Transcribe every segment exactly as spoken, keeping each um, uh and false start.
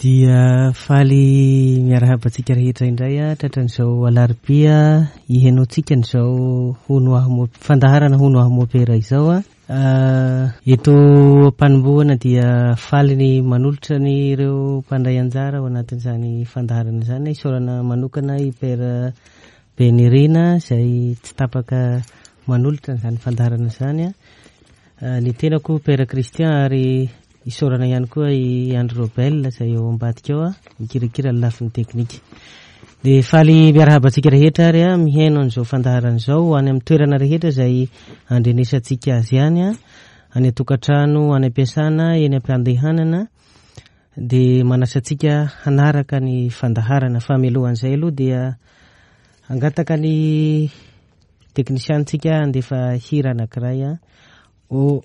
Dia faly miarahaba antsika rehetra indray a tratran'izao alarobia ihenoantsika an'izao hono aho fandaharana hono aho mopera izao a. Eto am-panombohana dia faly ny manolotra ny ireo mpandray anjara ao anatin'izany fandaharana izany. Isaorana manokana i Père Benirina izay tsy tapaka manolotra an'izany fandaharana izany a. Ny tenako Père Christian ary isaorana ihany koa i Andry Robel izay eo ambadika ao a mikirakira ny lafiny teknika. Dia faly miarahaba antsika rehetra ary a mihaino an'izao fandaharana izao any amin'ny toerana rehetra izay andrenesantsika azy ihany a, any an-tokantrano, any am-piasana, eny am-pandehanana. Dia manasa antsika hanaraka ny fandaharana. Fa mialohan'izay aloha dia hangataka ny teknisiantsika handefa hira anankiray a, o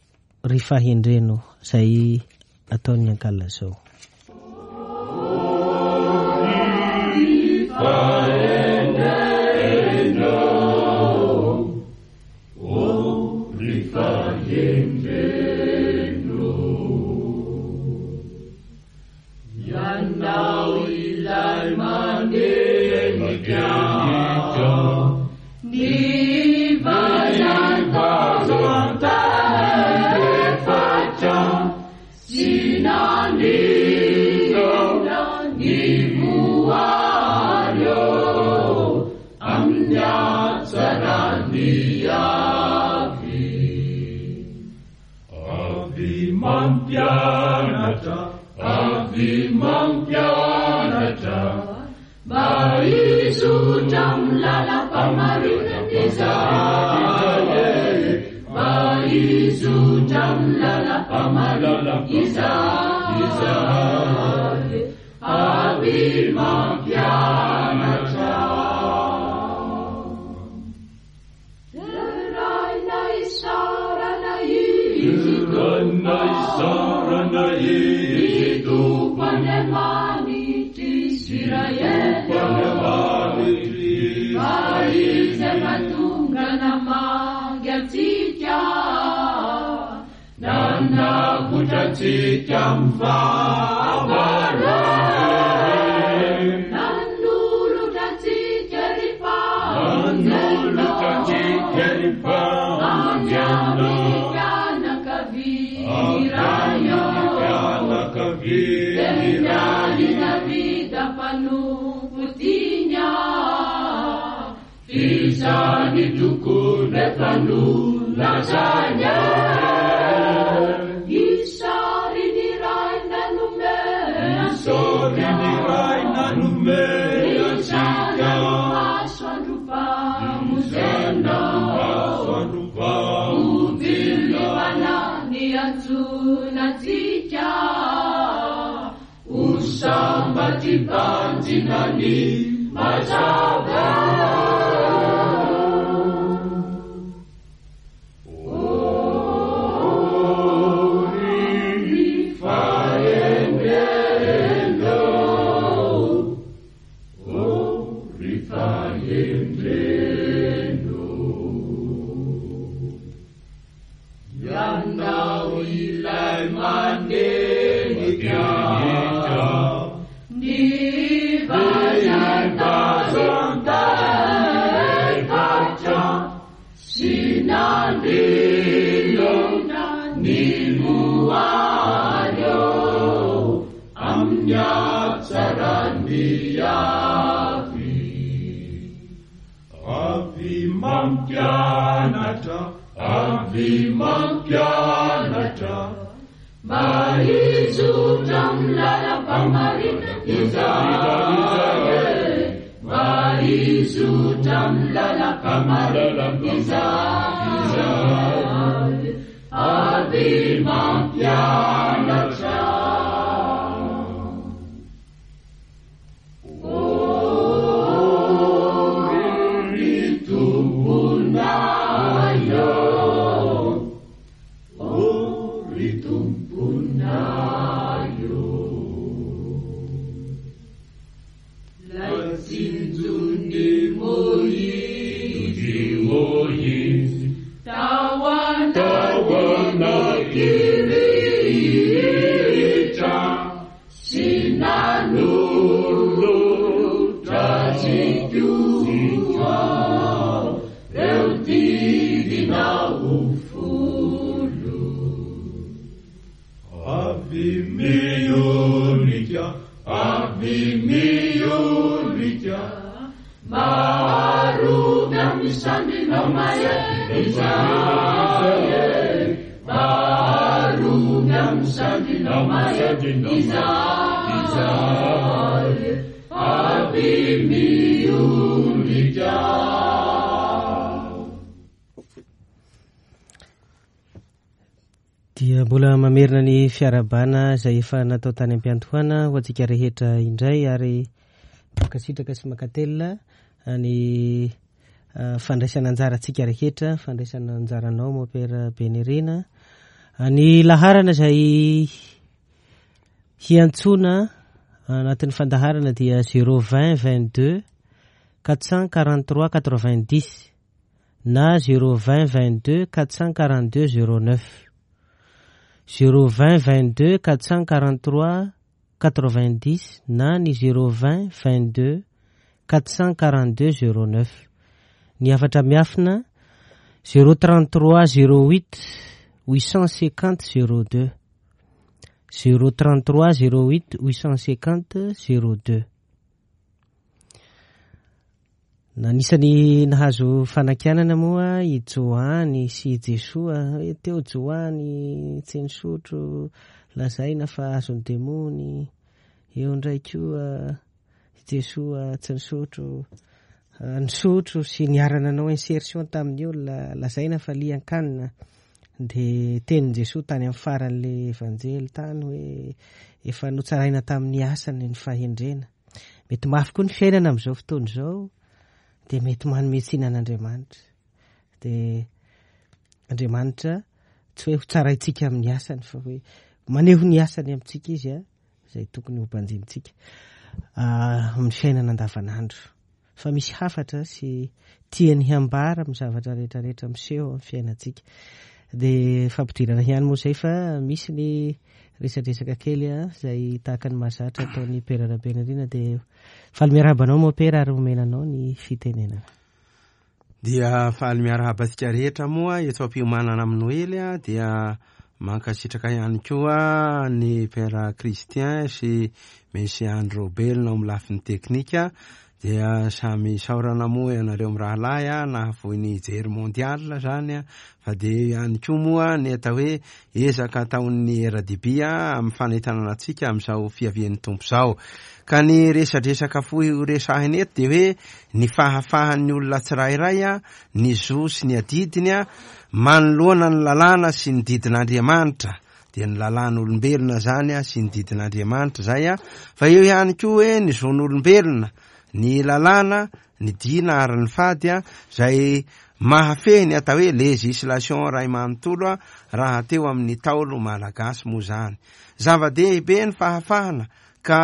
ry fahendreno izay ataon'ny ankalazao. Tawana, tawana, Tsitoha, reo didinao folo. Avy miondrika, avy miondrika, maro miamisandinao mahery izahay, maro miamisandinao mahery izahay, avy miondrika. Dia mbola mamerina ny fiarahabana izay efa natao tany am-piandohana ho antsika rehetra indray, ary mankasitraka sy mankatelina ny fandraisana anjara antsika rehetra, fandraisana anjaranao Mopera Benirina. Ny laharana izay hiantsoana anatin'ny fandaharana dia zéro vingt vingt-deux quatre cent quarante-trois quatre-vingt-dix na zéro vingt vingt-deux quatre cent quarante-deux zéro neuf. zéro vingt vingt-deux quatre cent quarante-trois quatre-vingt-dix na ny zéro vingt vingt-deux quatre cent quarante-deux zéro neuf. Ny hafatra miafina zéro trente-trois zéro huit huit cent cinquante zéro deux, zéro trente-trois zéro huit huit cent cinquante zéro deux. Nanisany nahazo fanakianana moa i Joany sy i Jesoa. Hoe teo Joany tsy nisotro, lazaina fa azon'ny demony. Eo indray koa i Jesoa tsy nisotro, nisotro sy niara-nanao insertion tamin'ny olona, lazaina fa lian-kanina. Dia tenin'i Jesoa tany amin'ny faran'ilay evanjely tany hoe efa notsaraina tamin'ny asany ny fahendrena. Mety mafy koa ny fiainana amin'izao fotoana izao, dia mety manome tsiny an'Andriamanitra. Dia Andriamanitra tsy hoe ho tsaraintsika amin'ny asany, fa hoe maneho ny asany amintsika izy a, izay tokony ho banjinintsika amin'ny fiainana andavanandro. Fa misy hafatra sy tiany hambara amin'ny zavatra rehetrarehetra miseho amin'ny fiainantsika. Dia fampidirana ihany moa izay, fa misy ny resadresaka kely a, izay tahaka ny mahazatra ataon'ny Pera Rabenirina. Dia faly miarahaba anao moa Pera, ary omena anao ny fitenenana. Dia faly miarahaba antsika rehetra moa eto am-piomanana amin'ny Noely a, dia mankasitraka ihany koa ny Pera Christian sy Messie Andro Belona amin'ny lafiny teknika. Dia samy saorana moa ianareo mirahalahy a, nahafoy ny jery mondial zany a, fa dia ihany koa moa ny atao hoe ezaka ataon'ny R D B a amin'ny fanentanana antsika amin'izao fiavian'ny Tompo izao. Ka ny resadresaka fohy ho resahina eto dia hoe ny fahafahan'ny olona tsirairay a, ny zo sy ny adidiny a, manoloana ny lalàna sy ny didin'Andriamanitra. Dia ny lalàn'olombelona zany a sy ny didin'Andriamanitra zay a, fa eo ihany koa hoe ny zon'olombelona, ny lalàna, ny dina ary ny fady a, zay mahafehy ny atao hoe législation ray manontolo a, raha teo amin'ny taolo malagasy moa zany. Zava-dehibe ny fahafahana, ka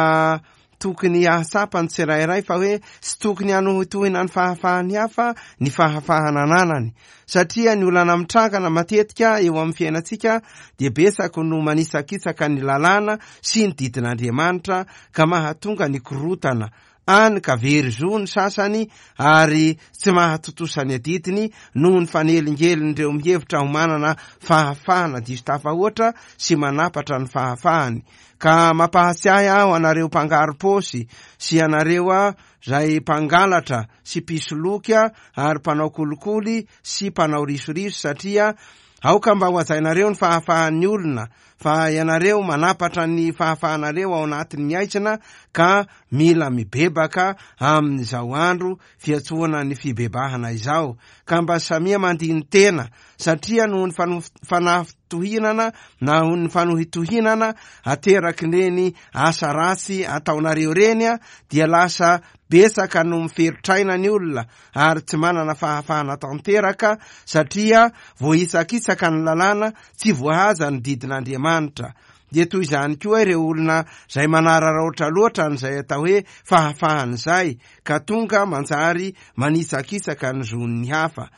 tokony hahatsapa ny tsirairay fa hoe tsy tokony hanohitohina ny fahafahan'ny hafa ny fahafahana ananany, satria ny olana mitrangana matetika eo amin'ny fiainantsika dia betsaka no manisakitsaka ny lalàna sy ny didin'Andriamanitra, ka mahatonga ny korotana any ka very zo ny sasany ary tsy mahatontosa ny adidiny noho ny fanelingelin'ireo mihevitra ho manana fahafahana diso tafahoatra sy manapatra ny fahafahany. Ka mampahatsiahy aho anareo mpangaro-paosy sy anareo a zay mpangalatra sy mpisoloky ary mpanao kolikoly sy mpanao risoriso, satria aoka mba ho hajainareo ny fahafahan'ny olona, fa ianareo manapatra ny fahafahanareo ao anatin'ny aizina, ka mila mibebaka amin'izao andro fiantsoana ny fibebahana izao. Ka mba samia mandini-tena, satria noho ny fano-, fanafitohinana na noho ny fanohitohinana ateraky ireny asa ratsy ataonareo ireny a, dia lasa betsaka no miferotraina ny olona ary tsy manana fahafahana tanteraka, satria voahitsakitsaka ny lalàna, tsy voahaja ny didin'Andriamanitra. Dia toy izany koa ireo olona izay manararaotra loatra an'izay atao hoe fahafahana izay, ka tonga manjary manitsakitsaka ny zon'ny hafa.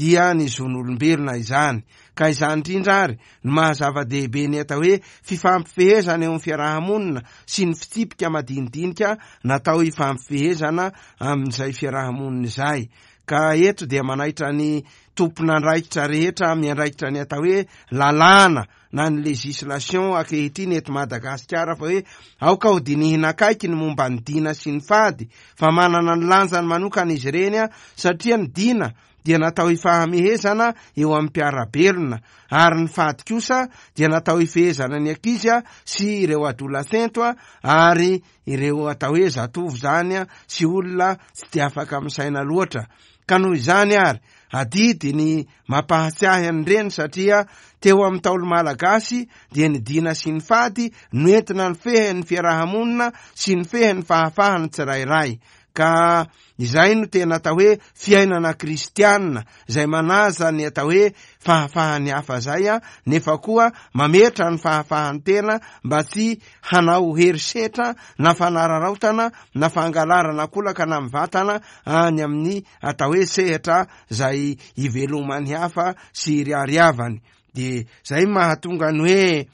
dia ny zon'olombelona izany. Ka izany indrindra ary no maha-zava-dehibe ny atao hoe fifampifehezana eo amin'ny fiarahamonina sy ny fitsipika madinidinika natao hifampifehezana amin'izay fiarahamonina izay. Ka eto dia manaitra ny tompon'andraikitra rehetra miandraikitra ny atao hoe lalàna na ny législation ankehitriny eto Madagasikara fa hoe aoka ho dinihina akaiky ny momba ny dina sy ny fady, fa manana ny lanjany manokana izy ireny, satria ny dina dia natao hifahamehezana eo amin'ny mpiara-belona, ary ny fady kosa dia natao hifehezana ny ankizy sy ireo adolescents ary ireo atao hoe zatovo zany sy olona tsy de afaka misaina loatra. Ka noho izany ary adidy ny mampahatsiahy an'ireny, satria teo amin'ny Ntaolo malagasy dia ny dina sy ny fady no entina ny fehin'ny fiarahamonina sy ny fehin'ny fahafahany tsirairay. Ka izay no tena atao hoe fiainana kristianina, izay manaja ny atao hoe fahafahany hafa zay, a nefa koa mametra ny fahafahany tena mba tsy hanao herisetra na fanararaotana na fangalarana kolaka na mivatana any amin'ny atao hoe sehatra zay ivelomany hafa sy iriariavany. De zay mahatonga ny hoe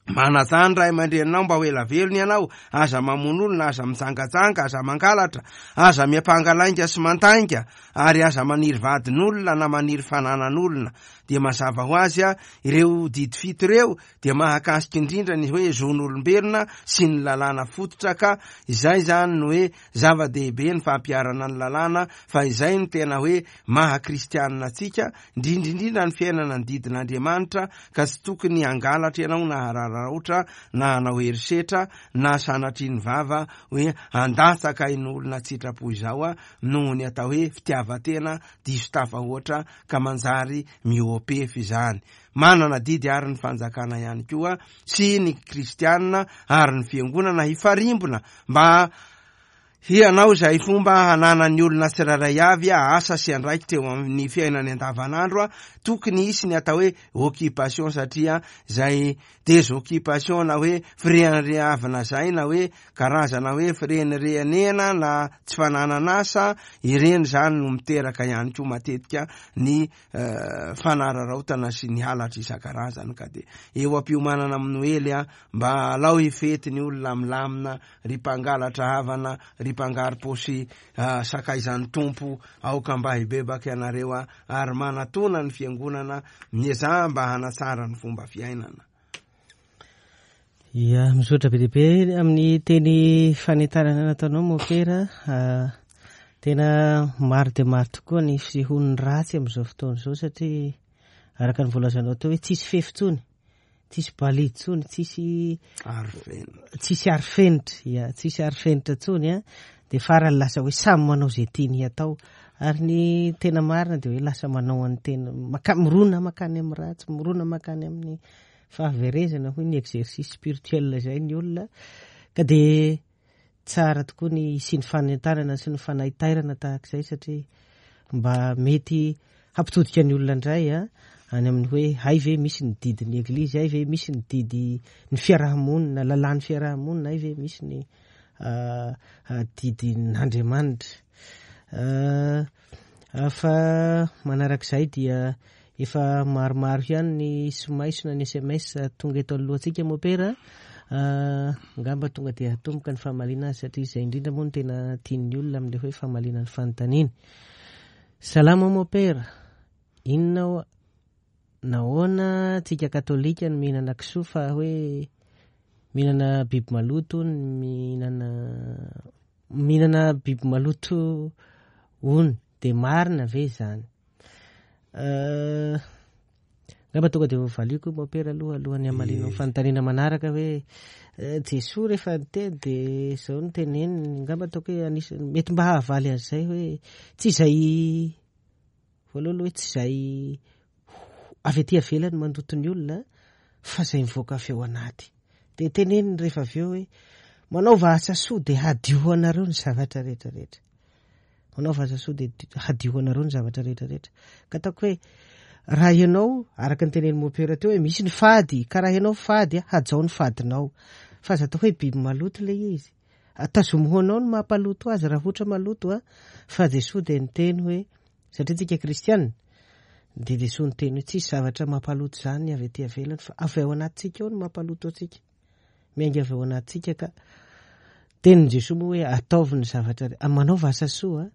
manaja ny ray aman-dreninao mba ho ela velona ianao, aza mamono olona, aza mijangajanga, aza mangalatra, aza miampanga lainga sy mandainga, ary aza maniry vadin'olona na maniry fananan'olona. Dia mazava ho azy a ireo didy fito ireo dia mahakasika indrindra ny hoe zon'olombelona sy ny lalàna fototra. Ka izay zany no hoe zava-dehibe ny fampiharana ny lalàna, fa izay no tena hoe maha kristianina antsika, indrindrindrindra ny fiainana ny didin'Andriamanitra. Ka tsy tokony hangalatra ianao na hararaotra na hanao herisetra na sanatria ny vava hoe handatsaka in'olona tsitrapo izao a noho ny atao hoe fitiavan-tena diso tafahoatra ka manjary mihoa-pefy izany. Manana didy ary ny fanjakana ihany koa sy ny kristianina ary ny fiangonana hifarimbona mba hianao izay fomba hananan'ny olona tsirairay avy asa sy andraikitra eo amin'ny fiainany andavanandro. A tokony hisy ny atao hoe occupation, satria zay désoccupation na hoe fireharehavana zay na hoe karazana hoe firenirenena na tsy fananana asa ireny zany no miteraka ihany koa matetika ny fanararaotana sy ny halatra isan-karazany. Ka de eo ampiomanana amin'ny Noely a mba alao hifety ny olona milamina, ry mpangalatra havana, ry mpangaro-paosy sakaizan'ny Tompo, aoka mba hibebaka ianareo a ary manatona ny fiangonana, miezaha mba hanatsara ny fomba fiainana. Ia, misaotra be dia be amin'ny teny fanentanana nataonao mopera. Tena maro dia maro tokoa ny fisehon'ny ratsy amin'izao fotoana izao, satria araka ny voalazanao teo hoe tsisy fefy intsony, tsisy balizy intsony, tsisy arofenitra, tsisy arofenitra, ia, tsisy arofenitra intsony a de farany lasa hoe samy manao izay tiany atao. Ary ny tena marina dia hoe lasa manao an'ny tena maka mirona makany amin'ny ratsy, mirona makany amin'ny fahaverezana, hoy ny exercice spirituel izay ny olona. Ka de tsara tokoa ny hisian'ny fanentanana sy ny fanaitairana tahaka izay, satria mba mety hampitodika ny olona indray a any amin'ny hoe hay ve misy ny didin'ny eglizy, hay ve misy ny didy ny fiarahamonina, lalàn'ny fiarahamonina, hay ve misy ny didin'Andriamanitra. Fa manarak'izay dia efa maromaro ihany ny somaiso na ny S M S tonga eto alohantsika mopera. Angamba tonga dia hatomboka ny famaliana azy, satria izay indrindra moa no tena tian'ny olona amin'ilay hoe famaliana ny fanontaniana. Salama mopera, inona nahoana tsika katolika no mihinana kisoa fa hoe mihinana biby maloto, mihinana mihinana biby maloto hono, de marina ve izany? Angamba tonga dia voavaliko mopera aloha alohan'ny hamaliana ny fanontaniana manaraka hoe Jesoa rehefa niteny dia izao no teneniny. Angamba ataoko hoe anisany mety mba hahavaly an'izay hoe tsy izay voalohany hoe tsy izay avy aty ivelany mandoto ny olona fa izay mivoaka avy ao anaty. Dia teneniny rehefa avy eo hoe manaova asa soa dia hadio ho anareo ny zavatra rehetrarehetra. Manaova asa soa dia hadio ho anareo ny zavatra rehetrarehetra. Ka ataoko hoe raha ianao araka ny tenenin'ny mopera teo hoe misy ny fady, ka raha ianao fady hajao ny fadinao, fa aza atao hoe biby maloto ilay izy. Tazomy ho anao ny mampaloto azy raha ohatra maloto a, fa Jesoa dia niteny hoe satria tsika kristianina Dia Jesoa niteny hoe tsisy zavatra mampaloto izany avy aty ivelany fa avy ao anatintsika ao no mampaloto antsika. Miainga avy ao anatintsika ka tenin'i Jesoa moa hoe ataovy ny zavatra, manaova asa soa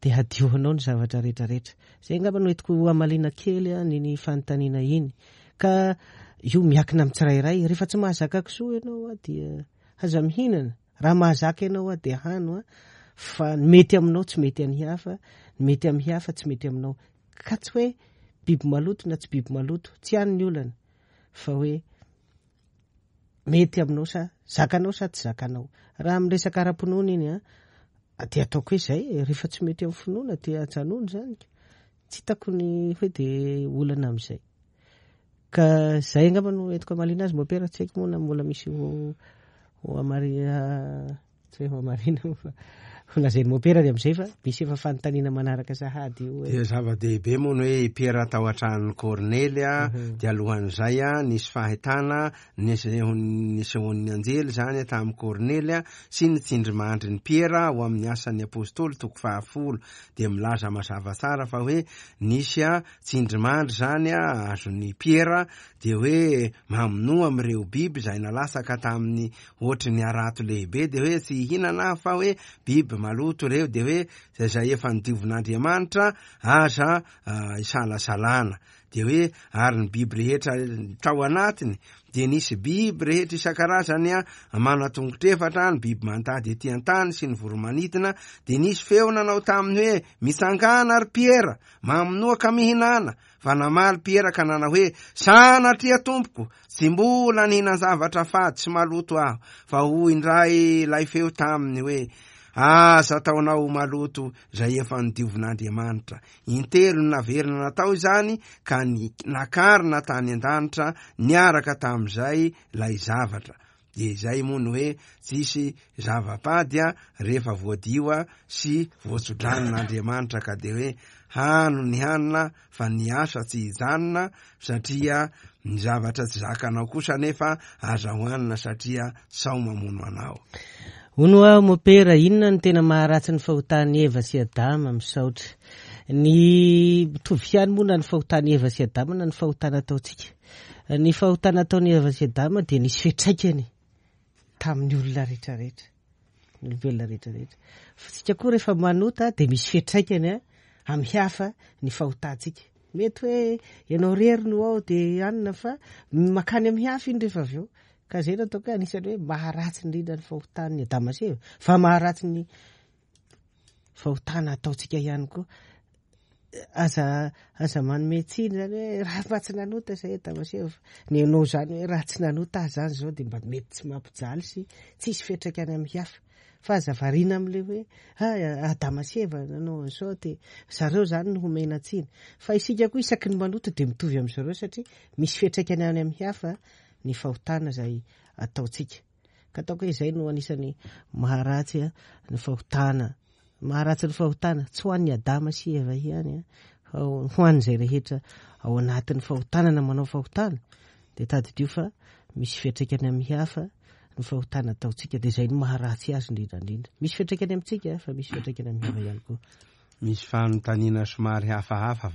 dia hadio anao ny zavatra rehetrarehetra. Izay angamba no entiko hamaliana kely ny fanontaniana iny. Ka io miakina amin'ny tsirairay, rehefa tsy mahazaka kisoa ianao dia aza mihinana. Raha mahazaka ianao dia hano, fa ny mety aminao tsy mety amin'ny hafa, ny mety amin'ny hafa tsy mety aminao. Ka tsy hoe biby maloto na tsy biby maloto, tsy any ny olana, fa hoe mety aminao sa zakanao sa tsy zakanao. Raha miresaka ara-pinoana iny a, dia ataoko hoe izay, rehefa tsy mety amin'ny finoana dia ajanona izany. Tsy hitako ny hoe dia olana amin'izay. Ka izay angamba no entiko hamaliana azy mopera, tsy haiko moa na mbola misy ho ho amaria, tsy hoe ho amarina fa ho lazain'ny mopera dia amin'izay fa misy efa fanontaniana manaraka sahady io. Dia zava-dehibe moa ny hoe i Piera tao an-tranon'i Kornely a, dia alohan'izay a nisy fahitana nisehoan'ny anjely zany tamin'i Kornely a sy ny tsindrimandrin'i Piera ho amin'ny asan'ny apôstôly toko fahafolo, dia milaza mazava tsara fa hoe nisy a tsindrimandry zany a azon'i Piera, dia hoe mamonoa amin'ireo biby izay nalatsaka tamin'ny ohatry ny harato lehibe, dia hoe tsy hihinana fa hoe biby maloto ireo, dia hoe izay efa nodiovin'Andriamanitra aza isalasalana. Dia hoe ary ny biby rehetra tao anatiny dia nisy biby rehetra isan-karazany a manan-tongotra efatra, ny biby mandady ety an-tany sy ny voromanidina, dia nisy feo nanao taminy hoe mitsangana ry Piera, mamonoa ka mihinana. Fa namaly Piera ka nanao hoe sanatria tompoko, tsy mbola nihinan-javatra fady sy maloto aho. Fa hoy indray ilay feo taminy hoe aza ataonao maloto izay efa nodiovin'Andriamanitra. Intelo naverina natao izany ka ny nakarina tany an-danitra niaraka tamin'izay ilay zavatra. Dia izay moa ny hoe tsisy zava-pady a rehefa voadio sy voatsodranon'Andriamanitra, ka dia hoe hano ny hanina fa ny asa tsy hijanona, satria ny zavatra tsy zakanao kosa nefa aza hohanina satria sao mamono anao. Hono aho mopera, inona no tena maharatsy ny fahotan'i Eva sy Adama? Misaotra. Ny mitovy ihany moa na ny fahotan'i Eva sy Adama na ny fahotana ataontsika. Ny fahotana ataon'i Eva sy Adama dia nisy fiantraikany tamin'ny olona rehetrarehetra, ny olombelona rehetrarehetra. Fa tsika koa rehefa manota dia misy fiantraikany amin'ny hafa ny fahotantsika. Mety hoe ianao rery no ao dia anina fa makany amin'ny hafa iny rehefa avy eo. Ka zay no ataoko hoe anisan'ny hoe maharatsy indrindra ny fahotan'ny Adama sy Eva, fa maharatsy ny fahotana ataontsika ihany koa. Aza aza manome tsiny zany hoe raha mba tsy nanota zay Adama sy Eva. Ny anao zany hoe raha tsy nanota azy zany zao dia mba mety tsy mampijaly sy tsisy fiantraikany amin'ny hafa. Fa aza variana amin'ilay hoe ah, Adama sy Eva nanao an'izao dia zareo zany no homena tsiny. Fa isika koa isaky ny manota dia mitovy amin'ny zareo satria misy fiantraikany any amin'ny hafa ny fahotana izay ataontsika. Ka ataoko hoe izay no anisan'ny maharatsy ny fahotana. Maharatsy ny fahotana tsy ho an'ny Adama sy Eva ihany, fa ho an'izay rehetra ao anatin'ny fahotana na manao fahotana, dia tadidio fa misy fiantraikany amin'ny hafa ny fahotana ataontsika, dia izay no maharatsy azy indrindra indrindra. Misy fiantraikany amintsika fa misy fiantraikany amin'ny hafa ihany koa. Misy fanontaniana somary hafahafa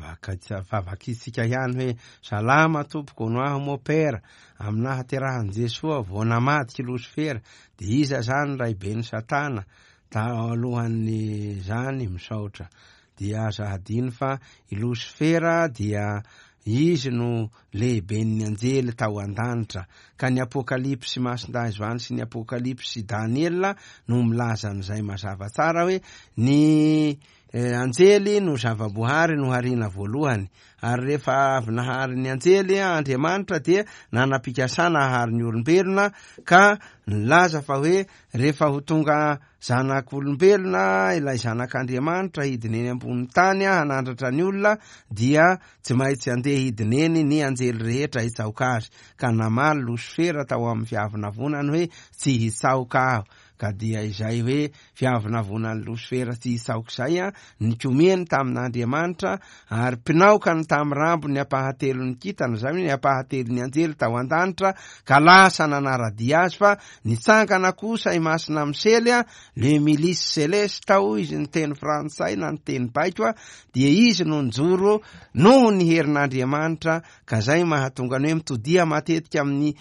fa vakitsika ihany hoe salama tompoko, no aho mopera, amin'ny nahaterahan'i Jesoa vao namadika Losifera, dia iza zany raiben'i Satana? Talohan'ny zany misaotra. Dia aza hadino fa i Losifera dia izy no lehiben'ny anjely tao an-danitra, ka ny Apokalypsy Masindahy Joany sy ny Apokalypsy Daniela no milaza an'izay mazava tsara hoe ny anjely no zava-boahary noharina voalohany, ary rehefa avy nahary ny anjely Andriamanitra dia nanam-pikasana hahary ny olombelona, ka nilaza fa hoe rehefa ho tonga zanak'olombelona ilay zanak'Andriamanitra hidina eny ambony tany hanandratra ny olona, dia tsy maintsy andeha hidina eny ny anjely rehetra hitsaoka azy. Ka namaly Losifera tao amin'ny fiavonavonany hoe tsy hitsaoka aho. Ka dia izay hoe fiavonavonan'ny Losifera tsy hitsaoka izay a nikomiany tamin'Andriamanitra, ary mpinaokany tamin'ny rambony ampahatelon'ny kintana, izany hoe ny ampahatelon'ny anjely tao an-danitra, ka lasa nanara-dia azy. Fa nitsangana kosa i Masina Misely a, le milice céleste tao izy, ny teny frantsay na ny teny baiko a, dia izy no njoro noho ny herin'Andriamanitra. Ka zay mahatonga ny hoe mitodia matetika amin'ny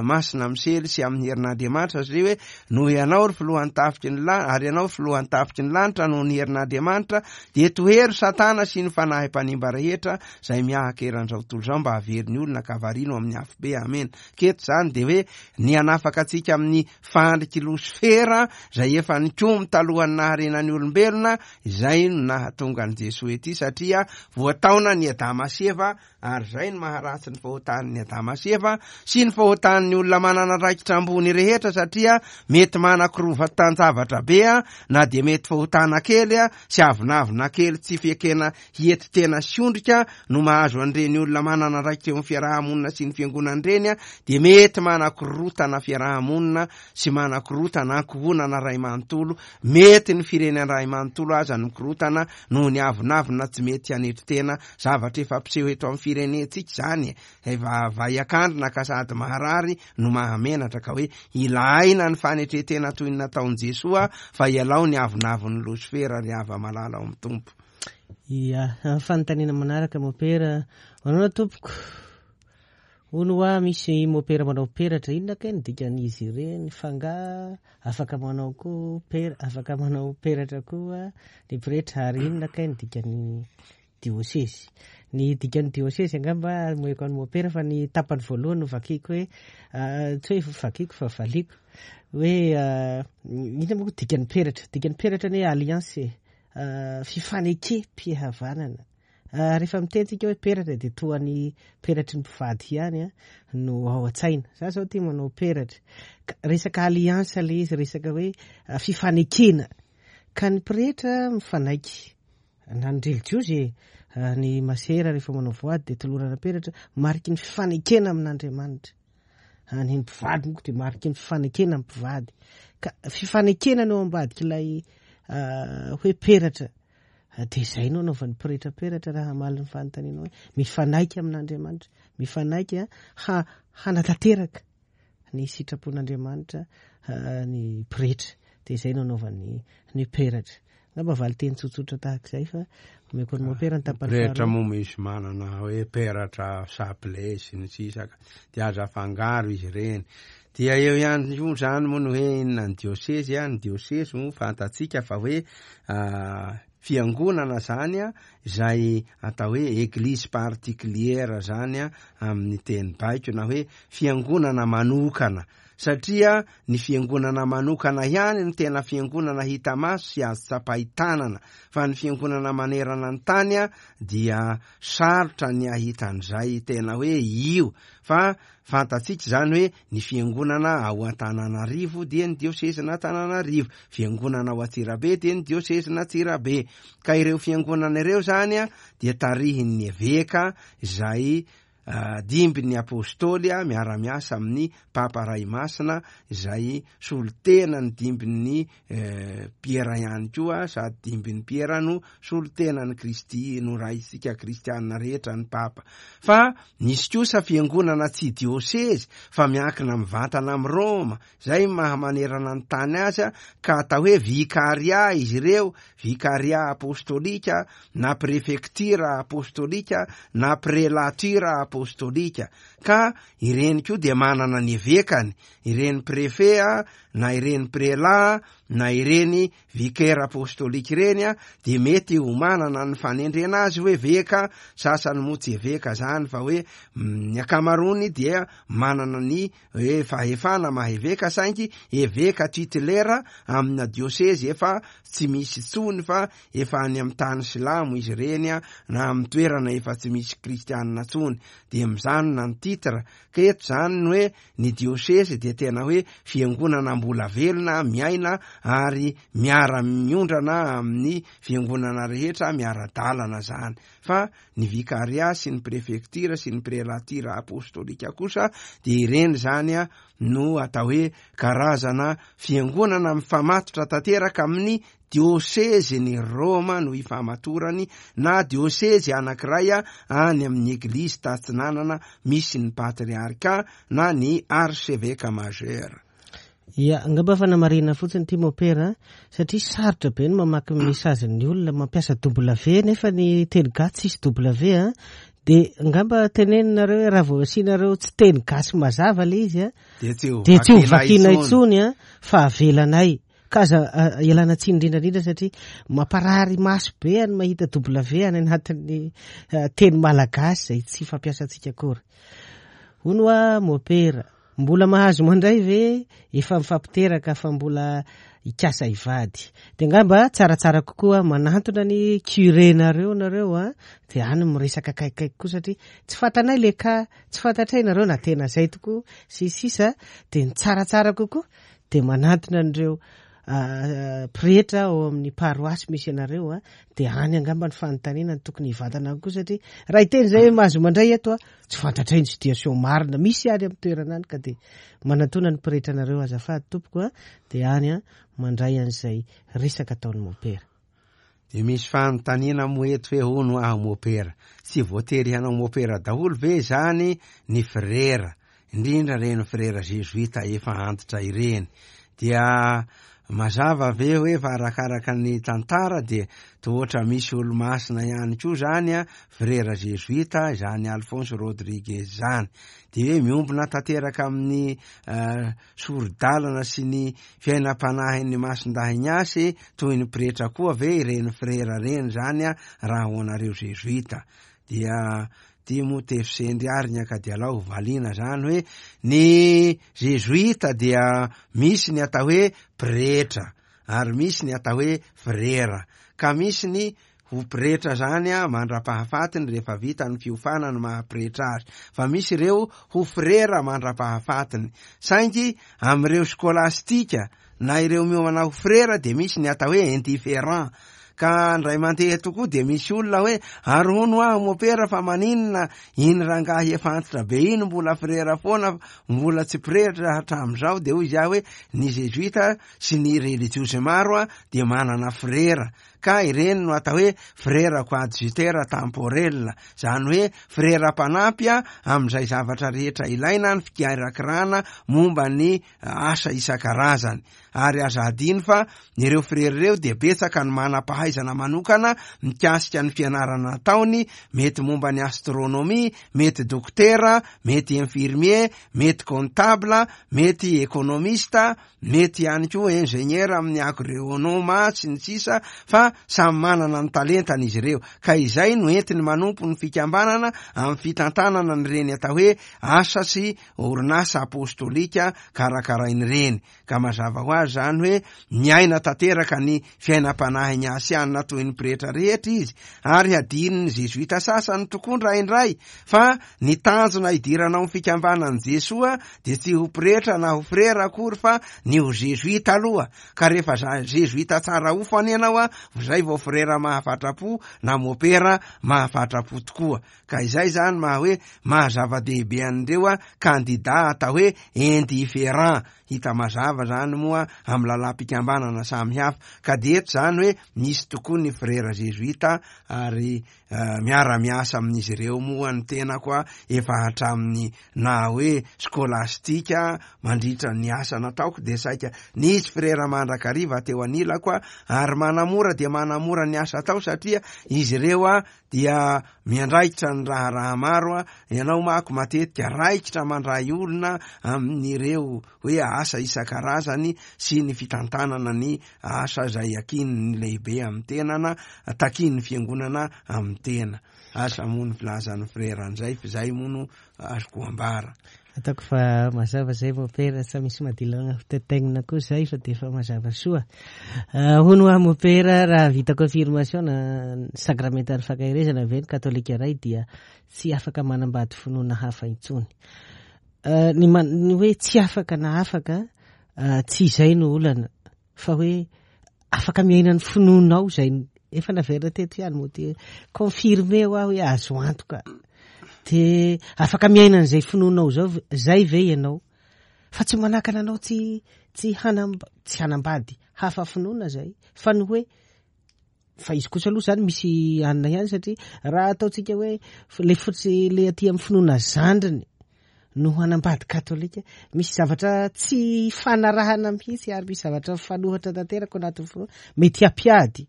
Masina Misely sy amin'ny herin'Andriamanitra, satria hoe noho ianao ry filohan'ny tafiky ny lanitra, ary ianao filohan'ny tafiky ny lanitra noho ny herin'Andriamanitra, dia tohero Satana sy ny fanahy mpanimba rehetra izay miahaka eran'izao tontolo izao mba havery ny olona ka variana amin'ny afobe. Amen. Keto zany dia hoe ny hanafaka antsika amin'ny fandriky Losifera izay efa nikomy talohan'ny naharenan'ny olombelona, izay no nahatonga an'i Jesoa ety, satria voataona ny Adama sy Eva, ary izay no maharatsy ny fahotan'ny Adama sy Eva sy ny fahotan'ny olona manana andraikitra ambony rehetra, satria mety manakorovan-javatra be a, na dia mety fahotana kely a sy avonavona kely tsy fiekena hiety tena sy ondrika no mahazo an'ireny olona manana andraikitra eo amin'ny fiarahamonina sy ny fiangonana ireny a, dia mety manakorotana fiarahamonina sy manakorotana ankohonana ray manontolo, mety ny firenena ray manontolo aza no mikorotana noho ny avonavona tsy mety hanetry tena. Zavatra efa mpiseho eto amin'ny firenentsika izany, efa vaiakandrina ka sady maharary no mahamenatra, ka hoe ilaina ny fanetren-tena toy ny nataon'i Jesoa, fa ialao ny avonavon'ny Losifera ry hava-malala ao amin'ny Tompo. Ia, fanontaniana manaraka mopera, manaona tompoko? Hono hoa misy mopera manao peratra, inona kay ny dikan'izy ireny? Fanga afaka manao koa pera, afaka manao peratra koa ny pretra, ary inona kay ny dikan'ny diosezy? Ny dikan'ny diosezy angamba moeko an'ny mopera, fa ny tapany voalohany no vakiko hoe tsy hoe vakiko fa valiko hoe inona moa dikan'ny peratra? Dikan'ny peratra ny hoe alliance, fifanekem-pihavanana. Rehefa mitentsika hoe peratra dia toa ny peratry ny mpivady ihany a no ao an-tsaina. Za zao tia manao peratra. Resaka alliance le izy, resaka hoe fifanekena. Ka ny pretra mifanaiky na ny relijiozy, ny masera rehefa manao voady dia tolorana peratra, mariky ny fifanekena amin'Andriamanitra. Ny mpivady moa dia mariky ny fifanekena amin'ny mpivady. Ka fifanekena no ao ambadik'ilay hoe peratra. Dia izay no anaovan'ny pretra peratra raha hamaly ny fanontaniana hoe mifanaiky amin'Andriamanitra, mifanaiky ha hanatanteraka ny sitrapon'Andriamanitra ny pretra. Dia izay no anaovan'ny ny peratra. Angamba valin-teny tsotsotra tahaka izay, fa omeko ny mopera ny tapany Pretra faharoa. moa misy manana hoe peratra chapelet sy ny sisa, dia aza afangaro izy ireny. Dia eo ihany koa zany moa ny hoe inona ny diosezy a? Ny diosezy moa fantatsika fa hoe fiangonana zany a, izay atao hoe église particulière zany a amin'ny teny baiko, na hoe fiangonana manokana, satria ny fiangonana manokana ihany no tena fiangonana hita maso sy azo tsapain-tanana, fa ny fiangonana manerana ny tany a dia sarotra ny ahitan'izay tena hoe io. Fa fantatsika zany hoe ny fiangonana ao Antananarivo dia ny diosezin'Antananarivo, fiangonana ao Antsirabe dia ny diosezin'Antsirabe. Ka ireo fiangonana ireo zany a dia tarihin'ny eveka izay dimbin'ny apôstôly a, miara-miasa amin'ny Papa Ray Masina izay solotena ny dimbin'ny Piera ihany koa, sady dimbin'ny Piera no solotena ny Kristy no raisika kristianina rehetra ny Papa. Fa nisy kosa fiangonana tsy diosezy fa miankina mivantana amin'ny Roma, izay mahamanerana ny tany azy, ka atao hoe vikaria izy ireo, vikaria apôstôlika na prefektira apôstôlika na prelatura apôstôlika. Ka ireny koa dia manana ny evekany, ireny prefet na ireny prelat na ireny vicaire apôstôlika ireny a, dia mety ho manana ny fanendrena azy hoe eveka, sasany moa tsy eveka zany fa hoe ny ankamaroany dia manana ny hoe fahefana maha eveka, saingy eveka titulaire amina diosezy efa tsy misy intsony fa efa any amin'ny tany silamo izy ireny a, na amin'ny toerana efa tsy misy kristianina intsony, dia mizanona ny titre. Ka eto zany ny hoe ny diosezy dia tena hoe fiangonana mbola velona miaina ary miara-miondrana amin'ny fiangonana rehetra, miara-dalana zany. Fa ny vikaria sy ny prefektira sy ny prelatira apostolika kosa dia ireny zany a no atao hoe karazana fiangonana mifamatotra tanteraka amin'ny diosezy ny Roma no ifamatorany, na diosezy anankiray any amin'ny eglizy tatsinanana misy ny patriarka na ny archevêque majeur. Ia, angamba fanamarihana fotsiny ity mopera, satria sarotra be ny mamaky message-n'ny olona mampiasa W nefa ny teny gasy tsisy W a. Dia angamba teneninareo hoe raha vao asianareo tsy teny gasy mazava ilay izy a, dia tsy ho dia tsy ho vakiana vakiana intsony. intsony a, fa avelanay. Ka aza, a, ialana tsiny indrindra indrindra satria mamparary maso be any mahita W any anatin'ny, a, teny malagasy izay tsy fampiasantsika akory. Hono hoa mopera, mbola mahazo mandray ve efa mifampiteraka fa mbola hikasa hivady? Dia angamba tsaratsara kokoa manantona ny curé-nareo nareo a, dia any miresaka akaikikaiky koa satria tsy fantanay le ka, tsy fantatray nareo na tena zay tokoa sy sisa, dia ny tsaratsara kokoa dia manantona an'ireo, a, pretra ao amin'ny paroasy misy anareo a, dia any angamba ny fanontaniana ny tokony hivantana koa satria raha hiteny zay hoe mahazo mandray eto a, tsy fantatray ny situation marina misy any amin'ny toerana any, ka dia manantona ny pretra anareo azafady tompoko a, dia any a mandray an'izay resaka ataon'ny mopera. Dia misy fanontaniana moa eto hoe hono aho mopera, tsy voatery hanao mopera daholo ve zany ny frera, indrindra ireny frera jesuita efa antitra ireny? Dia mazava ve hoe fa arakaraka ny tantara dia toa ohatra misy olo-masina ihany koa zany a, frera jesuita izany Alphonse Rodriguez zany, dia hoe miombona tanteraka amin'ny, eh, sori-dalana sy ny fiainam-panahin'ny masindahy Ignace toy ny pretra koa ve ireny frera ireny zany a, raha ho anareo jesuita? Dia ty moa tefy sendry ary ny akadialao valiana zany hoe ny jesuita dia misy ny atao hoe pretra ary misy ny atao hoe frera, ka misy ny ho pretra zany a mandra-pahafatiny rehefa vita ny fiofanana ny maha-pretra azy, fa misy ireo ho frera mandra-pahafatiny. Saingy amin'ireo skolastika na ireo miomana ho frera dia misy ny atao hoe indifférent, ka ndray mandeha tokoa dia misy olona hoe ary hono aho mopera fa maninona iny rangahy efa antitra be iny mbola frera foana, mbola tsy pretra hatramin'izao? Dia hoy izy aho hoe ny jesuita sy ny religiosy maro a dia manana frera, ka ireny no atao hoe frera coadjuteur temporel, zany hoe frera mpanampy a amin'izay zavatra rehetra ilaina ny fikirakirana momba ny asa isan-karazany. Ary aza adino fa ireo frera ireo dia betsaka ny manam-pahaizana manokana mikasika ny fianarana ataony, mety momba ny astronomie, mety dokotera, mety infirmier, mety comptable, mety économiste, mety ihany koa ingénieur amin'ny agronome sy ny sisa, fa samy manana ny talentany izy ireo, ka izay no entiny manompo ny fikambanana amin'ny fitantanana ny reny atao hoe asa sy orinasa apostolika karakarainy ireny. Ka mazava ho azy zany hoe miaina tanteraka ny fiainam-panahy ny asianina toy ny pretra rehetra izy, ary hadinony jesuita sasany tokoa indraindray fa ny tanjona hidirana ao amin'ny fikambanan'i Jesoa dia tsy ho pretra na ho frera akory fa ny ho jesuita aloha, ka rehefa za-, jesuita tsara hofana ianao a, zay vao frera mahafatrapo na mopera mahafatrapo tokoa. Ka izay zany maha hoe mahazava-dehibe an'ireo a kandida atao hoe indifférent, hita mazava zany moa amin'ny lalam-pikambanana samihafa. Ka dia eto zany hoe misy tokoa ny frera jesuita ary, eh, miara-miasa amin'izy ireo moa ny tena koa efa hatramin'ny na hoe skolastika mandritra ny asa nataoko dia saika nisy frera mandrakariva teo anilako a, ary manamora dia manamora ny asa atao satria izy ireo a dia miandraikitra ny raharaha maro a. Ianao manko matetika raikitra mandray olona amin'ireo hoe asa isan-karazany sy ny fitantanana ny asa izay akin'ny lehibe amin'ny tenana, takin'ny fiangonana amin'ny tena. Asa moa ny filazan'ny frera an'izay, fa izay moa no azoko ambara. Ataoko fa mazava zay mopera, sa misy madilana hotetegnina koa zay fa de efa mazava soa. Ah, hono aho mopera, raha vita confirmation na sakramentan'ny fankaherezana ve ny katolika iray dia tsy afaka manambady finoana hafa intsony. Ah, ny man-, ny hoe tsy afaka na afaka, ah, tsy izay no olana. Fa hoe afaka miaina ny finoanao izay efa naverina teto ihany moa dia confirmé ho aho hoe azo antoka. Dia afaka miaina an'izay finoanao zao zay ve ianao? Fa tsy manakana anao tsy tsy hanam- tsy hanambady hafa finoana zay. Fa ny hoe fa izy kosa aloha zany misy anina ihany satria raha ataontsika hoe le fotsy le aty amin'ny finoana zandriny no hanambady katolika, misy zavatra tsy fanarahana mihitsy ary misy zavatra mifanohitra tanteraka ao anatin'ny finoana mety hampiady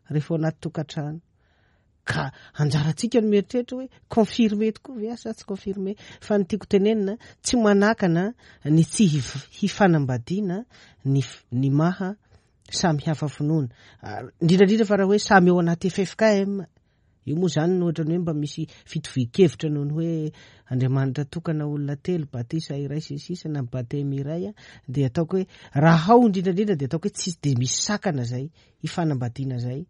rehefa ao anaty tokantrano. Ka anjarantsika no mieritreritra hoe confirmé tokoa ve sa tsy confirmé. Fa ny tiako tenenina tsy manakana ny tsy hifanambadiana ny ny maha samy hafa finoana, indrindrandrindra fa raha hoe samy ao anaty F F K M. Io moa zany no ohatrany hoe mba misy fitovian-kevitra noho ny hoe Andriamanitra tokana olona telo, batisa iray sy ny sisa na batemy iray, dia ataoko hoe raha ao indrindrandrindra dia ataoko hoe tsy dia misy sakana zay hifanambadiana zay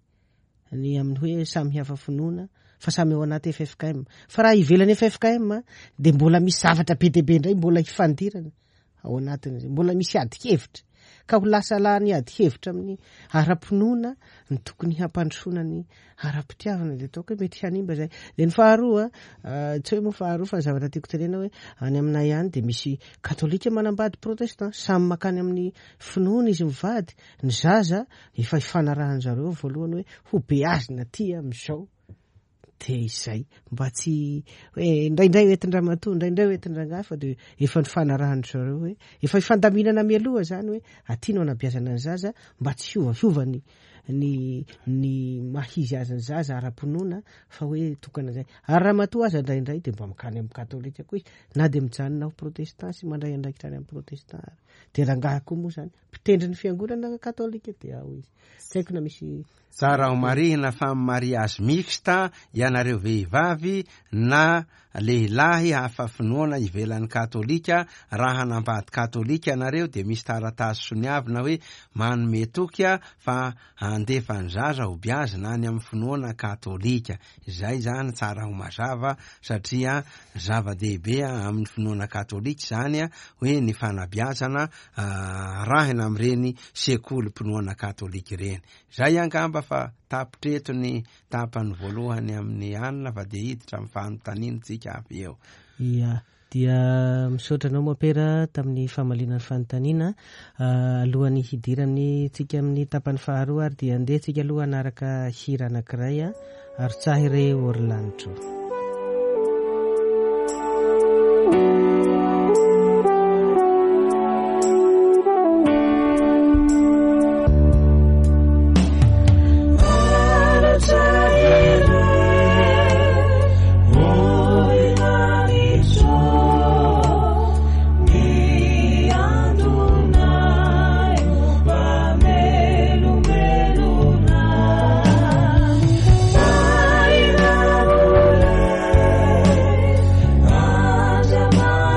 ny amin'ny hoe samy hafa finoana fa samy ao anaty F F K M. Fa raha ivelan'ny F F K M dia mbola misy zavatra be dia be indray mbola hifandirana ao anatin'izay, mbola misy ady hevitra. Ka ho lasa lany ady hevitra amin'ny ara-pinoana ny tokony hampandrosoana ny ara-pitiavana dia ataoko hoe mety hanimba zay. Dia ny faharoa, tsy hoe moa faharoa fa ny zavatra tiako tenena hoe any aminay any dia misy katolika manambady protestant, samy makany amin'ny finoana izy mivady, ny zaza efa ifanarahan zareo voalohany hoe ho beazina aty amin'izao. Dia izay mba tsy hoe indraindray hoentin-dramatoa, indraindray hoentin-drangahy, fa dia efa nifanarahan zareo hoe efa ifandaminana mialoha zany hoe aty no anabeazana ny zaza mba tsy hiovahiova ny, ny, ny maha izy azy ny zaza ara-pinoana fa hoe tokana zay. Ary ramatoa aza indraindray dia mba makany amin'ny katolika koa izy na dia mijanona ho protestant sy mandray andraikitra any amin'ny protestant ary. Dia rangahy koa moa zany mpitendry ny fiangonana katolika dia ao izy. Tsy haiko na misy tsara ho marihina fa mariage mixte ianareo vehivavy na lehilahy hafa finoana ivelan'ny katolika, raha hanambady katolika ianareo dia misy taratasy soniavina hoe manome toky fa handefa ny zaza ho beazina any amin'ny finoana katolika. Izay zany tsara ho mazava satria zava-dehibe amin'ny finoana katolika zany hoe ny fanabeazana arahina amin'ireny sekolim-pinoana katolika ireny. Zay angamba fa tapitreto ny tapany voalohany amin'ny anina fa dia hiditra amin'ny fanontaniana tsika avy eo. Ia, dia misaotra anao Mopera tamin'ny famaliana ny fanontaniana. Alohan'ny hidirany tsika amin'ny tapany faharoa ary dia andeha tsika aloha hanaraka hira anankiray ary tsahy re Orlanitro. Bye.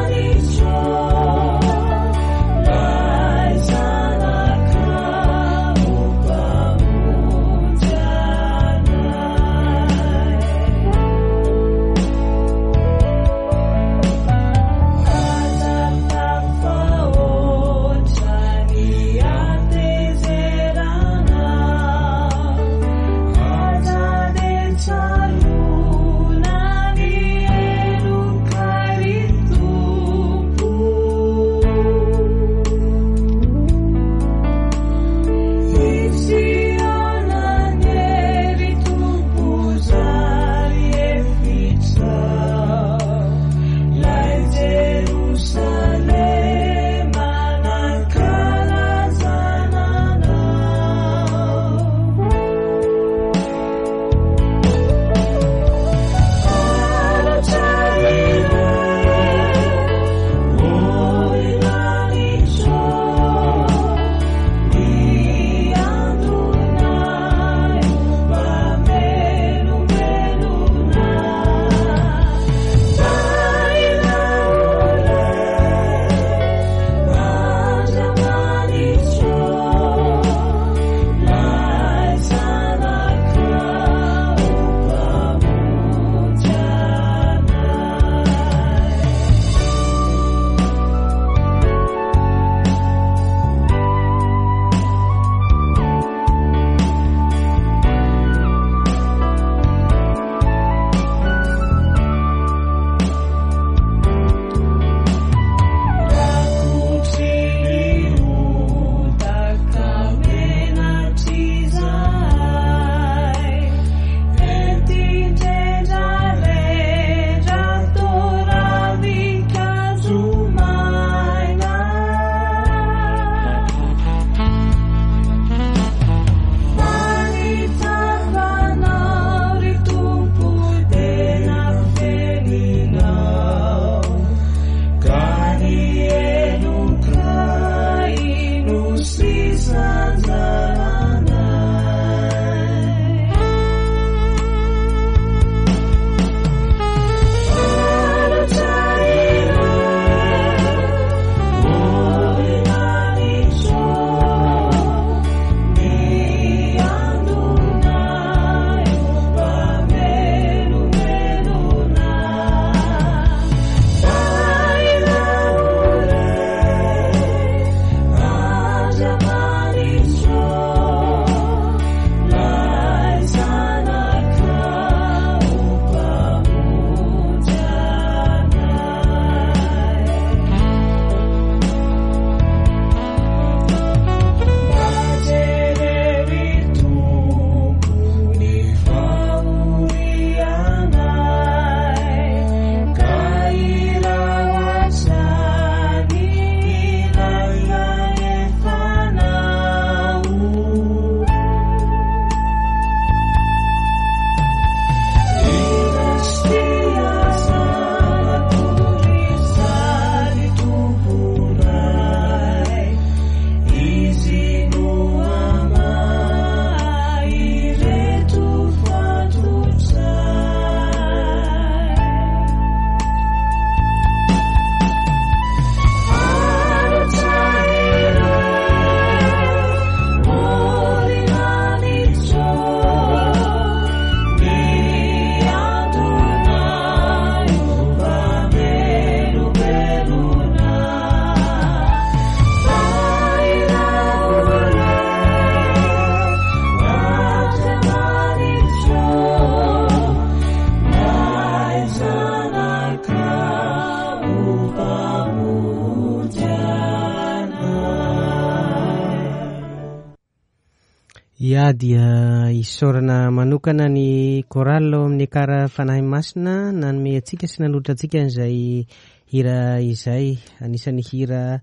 Ia, dia isaorana manokana ny chorale ao amin'ny Ekara Fanahy Masina nanome antsika sy nanolotra antsika an'izay hira izay. Anisan'ny hira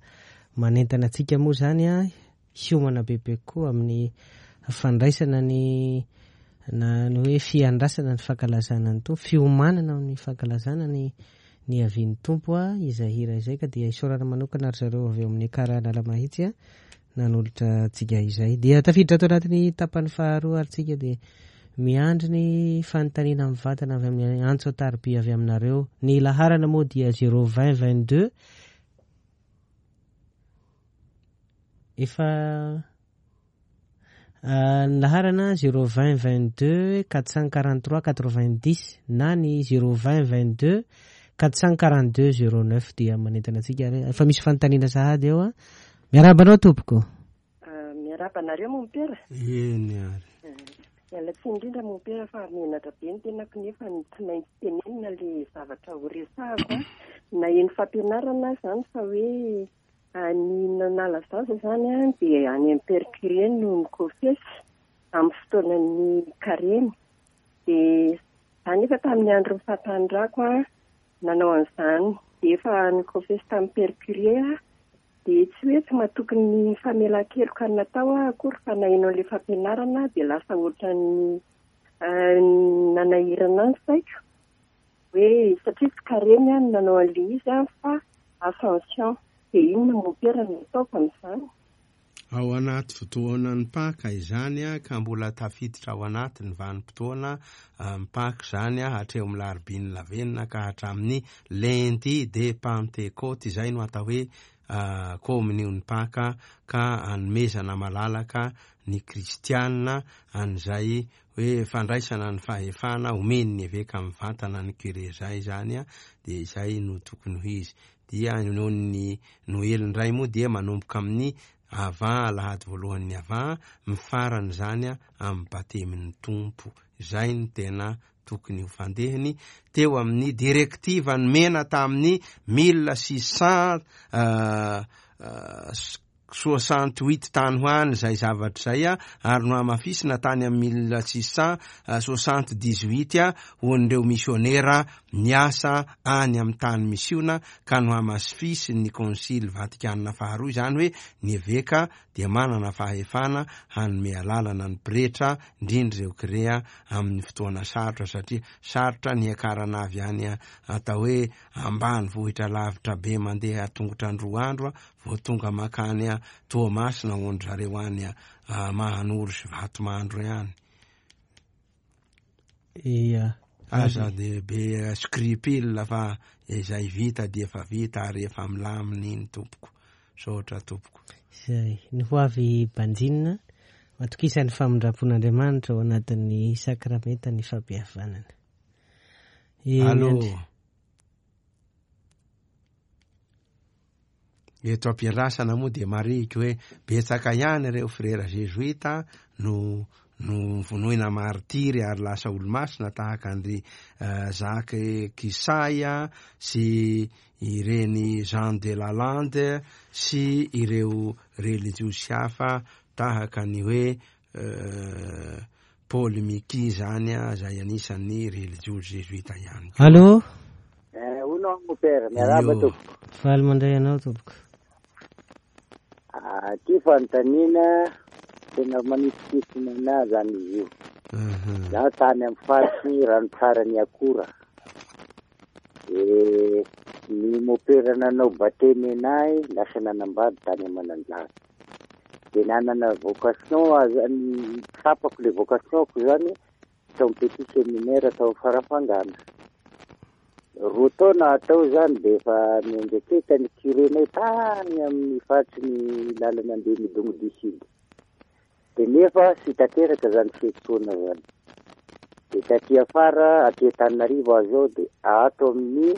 manentana antsika moa zany a hiomana bebe kokoa amin'ny fandraisana ny na ny hoe fiandrasana ny fankalazana ny Tompo, fiomanana amin'ny fankalazana ny ny avian'ny Tompo a izay hira izay, ka dia isaorana manokana ry zareo avy eo amin'ny Ekara Analamahitsy a nanolotra antsika izay. Dia tafiditra ato anatin'ny tapany faharoa ary tsika dia miandry ny fanontaniana mivantana avy amin'ny antso an-tariby avy aminareo. Ny laharana moa dia zéro vingt vingt-deux efa ny laharana zéro vingt vingt-deux quatre cent quarante-trois quatre-vingt-dix na ny zéro vingt vingt-deux quatre cent quarante-deux zéro neuf. Dia manentana antsika ary efa misy fanontaniana sahady eo a. Miarahaba anao tompoko. Miarahaba anareo mompera. Eny ary. Miala tsiny indrindra mompera fa menatra be ny tenako nefa tsy maintsy tenenina le zavatra ho resahako a. Naheno fampianarana zany fa hoe ny nanala zaza zany a dia any amin'ny père curé no mikofesy amin'ny fotoanan'ny karemy. Dia za nefa tamin'ny andro fahatanirako a nanao an'izany dia efa nikofesy tamin'ny père curé a. Dia tsy hoe tsy matoky ny famelan-keloka natao aho akory fa naheno an'ilay fampianarana dia lasa ohatran'ny nanahirana ny saiko hoe satria tsy karemy aho no nanao an'ilay izy a fa ascension. Dia inona mompera no ataoko amin'izany? Ao anaty fotoanan'ny Paka izany a, ka mbola tafiditra ao anaty ny vanim-potoana ny Paka izany a, hatreo amin'ny larobin'ny lavenona ka hatramin'ny lundi de Pentecôte, izay no atao hoe kominion'ny Paka, ka anomezana malalaka ny kristianina an'izay hoe fandraisana ny fahefana omen'ny eveka mivantana ny curé zay zany a, dia izay no tokony ho izy. Dia noho ny Noely indray moa dia manomboka amin'ny avant alahady voalohan'ny avant mifarana izany a amin'ny batemin'ny Tompo. Izay no tena tokony ho fandehany teo amin'ny directive nomena tamin'ny mille six cent soixante-huit tany ho any izay zavatra izay a, ary nohamafisina tany amin'ny mille six cent soixante-dix-huit a ho an'ireo misionera niasa any amin'ny tany misiona, ka nohamafisin'ny Konsily Vatikana faharoa izany hoe ny eveka dia manana fahefana hanome alalana ny pretra indrindra ireo kirea amin'ny fotoana sarotra, satria sarotra ny hiakarana avy any atao hoe ambany vohitra lavitra be mandeha tongotra androa andro vao tonga makany Toamasina ho an-dry zareo any Mahanoro sy Vatomandro ihany. Ia. Aza de be scrupule fa izay vita dia efa vita ary efa milamina iny tompoko. Saotra tompoko. Izay ny ho avy banjinina matokisan'ny famindram-pon'Andriamanitra ao anatin'ny sakramenta ny fampihavanana. Allô. Eto ampiandrasana moa dia marihiko hoe betsaka ihany ireo frera jesuita no no vonoina martiry ary lasa olomasina tahaka an-dry Jacques Kisaya sy ireny Jean de Lalande sy ireo religiosy hafa tahaka ny hoe Paul Miki zany a, izay anisan'ny religiosy jesuita ihany. Allô. Hono mompera, miarahaba tompoko. Faly mandray anao tompoko. Ty fanontaniana tena manitikitina anahy zany izy io. Zaho tany amin'ny faritry ranotsara ny akora. E, ny mompera nanao batemy anahy lasa nanambady tany Mananjary. Dia nanana vocation zany, tsapako le vocation-ko zany tao amin'ny petit séminaire tao Farafangana. Roa taona atao zany dia efa niandraiketa ny curé-nay tany amin'ny faritry ny lalana andeha Midongy du Sud. Dia nefa tsy tanteraka zany fiantsoana zany. Dia taty afara aty Antananarivo aho zao dia ato amin'ny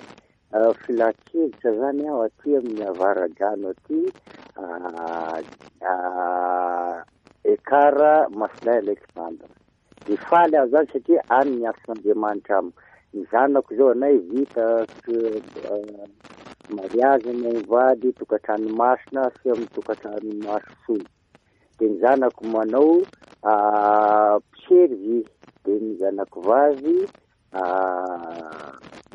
filan-kevitra zany aho aty amin'ny avaradrano aty Ekara Masindahy Alexandre. Dia faly aho zany satria any ny asan'Andriamanitra amiko. Ny zanako zao anay vita mariazy ny mivady tokantrano masina sy amin'ny tokantrano maso. De ny zanako manao mpiservy, de ny zanako vavy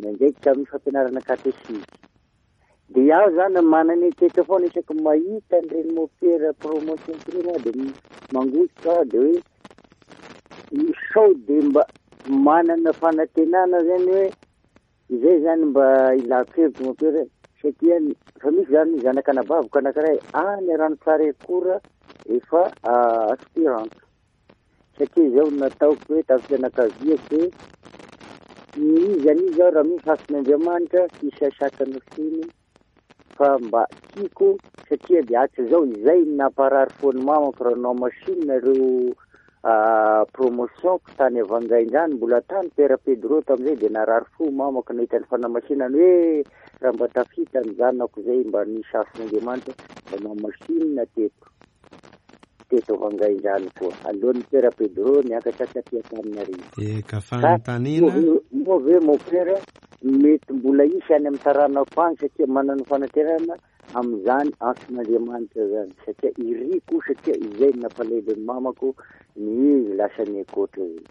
miandraikitra amin'ny fampianarana katesizy. De iaho zany manana eritreritra foana isaky mahita an'ireny mopera promotion ireny aho de mangosotra de hoe sao de mba manana fanantenana zany hoe izay zany mba ilako hevitra mopera, satria fa misy zany zanak'anabaviko anankiray any Ranotsara efa aspirante, satria izao nataoko hoe tamin'ny fianakaviako hoe n'iza n'iza raha misy hasin'Andriamanitra tsy isasakana finy fa mba tiako, satria de hatrizao izay namparary foan'ny mamako raha nanao machine ireo promotion tany Avangaindrano, mbola tany Père Pedro tamin'izay, de narary fo mamako nahita ny fanamasinana hoe raha mba tafita ny zanako izay mba nisy hasin'Andriamanitra mba nanao machine teto teto Avangaindrano koa alohan'ny Père Pedro niakatra taty Antananarivo. Eka fanontaniana moa ve mopera mety mbola hisy any amin'ny taranako any, satria manana fanantenana amin'izany antson'Andriamanitra zany, satria iriko, satria izay nampalahelo ny mamako ny lasa ny ankoatra zay.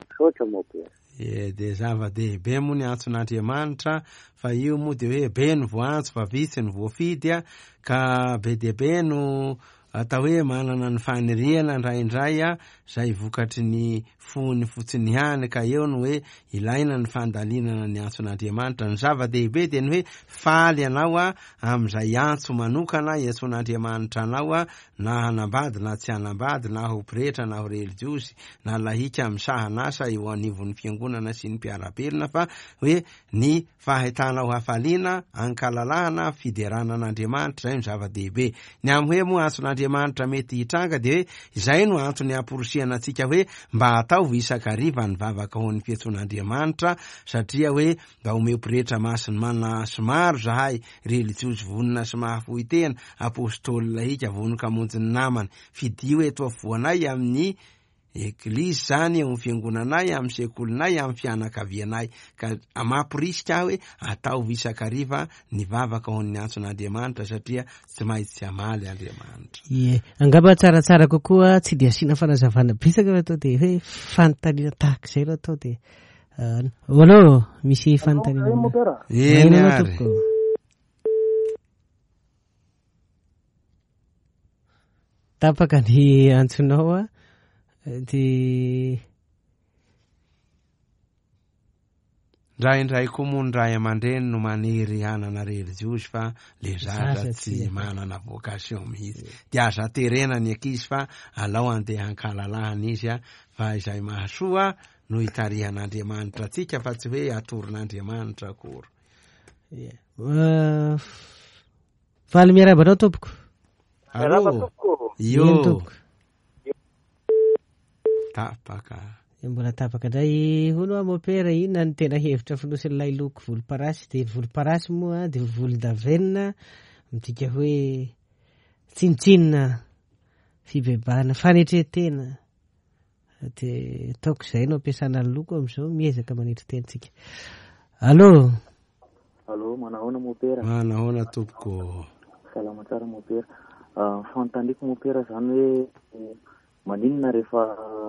Misaotra mopera. E, de zava-dehibe moa ny antson'Andriamanitra, fa io moa de hoe be ny voantso fa vitsy ny voafidy a, ka be dia be no atao hoe manana ny faniriana indraindray a, zay vokatry ny fony fotsiny ihany, ka eo no hoe ilaina ny fandalinana ny antson'Andriamanitra. Ny zava-dehibe de ny hoe faly ianao a amin'izay antso manokana iantson'Andriamanitra anao a, na hanambady na tsy hanambady, na ho pretra na ho relijiosy na lahika misahanasa eo anivon'ny fiangonana sy ny mpiara-belona, fa hoe ny fahitanao hafaliana ankalalahana fiderana an'Andriamanitra zay no zava-dehibe. Ny amin'ny hoe moa antson'Andriamanitra mety hitranga de hoe izay no antony amporisiana antsika hoe mba ataovy isan-kariva ny vavaka ho an'ny fiantson'Andriamanitra, satria hoe mba omeo pretra masina mana sy maro zahay, relijiosy vonona sy mahafoy tena, apôstôly lahika vonoka hamonjy ny namany, fidio eto afovoanay amin'ny eglizy zany, eo amin'ny fiangonanay, amin'ny sekolinay, amin'ny fianakavianay. Ka mamporisika aho hoe ataovy isan-kariva ny vavaka ho an'ny antson'Andriamanitra, satria tsy maintsy hamaly Andriamanitra. Ie, angamba tsaratsara kokoa tsy de asiana fanazavana betsaka fa atao de hoe fanontaniana tahaka izay no atao de allo, misy fanontaniana. Eny ary. Tapaka ny antsonao a, de ndraindray koa moa ny ray aman-dreny no manery hanana relijiosy fa le zaza tsy manana vocation mihitsy, de aza terena ny ankizy fa alao andeha hankalalahana izy a, fa izay mahasoa no hitarihan'Andriamanitra antsika fa tsy hoe atoron'Andriamanitra akory. Faly miarahaba anao tompoko. Allo, io tompoko. Tapaka. Mbola tapaka indray. Hono a mopera, inona ny tena hevitra fonosin'ilay loko volomparasy? De volomparasy moa de volondavenona, midika hoe tsinontsinona, fibebahana, fanetren-tena. De ataoko izay no ampiasana ny loko amin'izao, miezaka manetry tena tsika. Allo. Allo, manahoana mopera? Manahoana tompoko. Salama tsara mopera. Fanontaniako mopera zany hoe maninona rehefa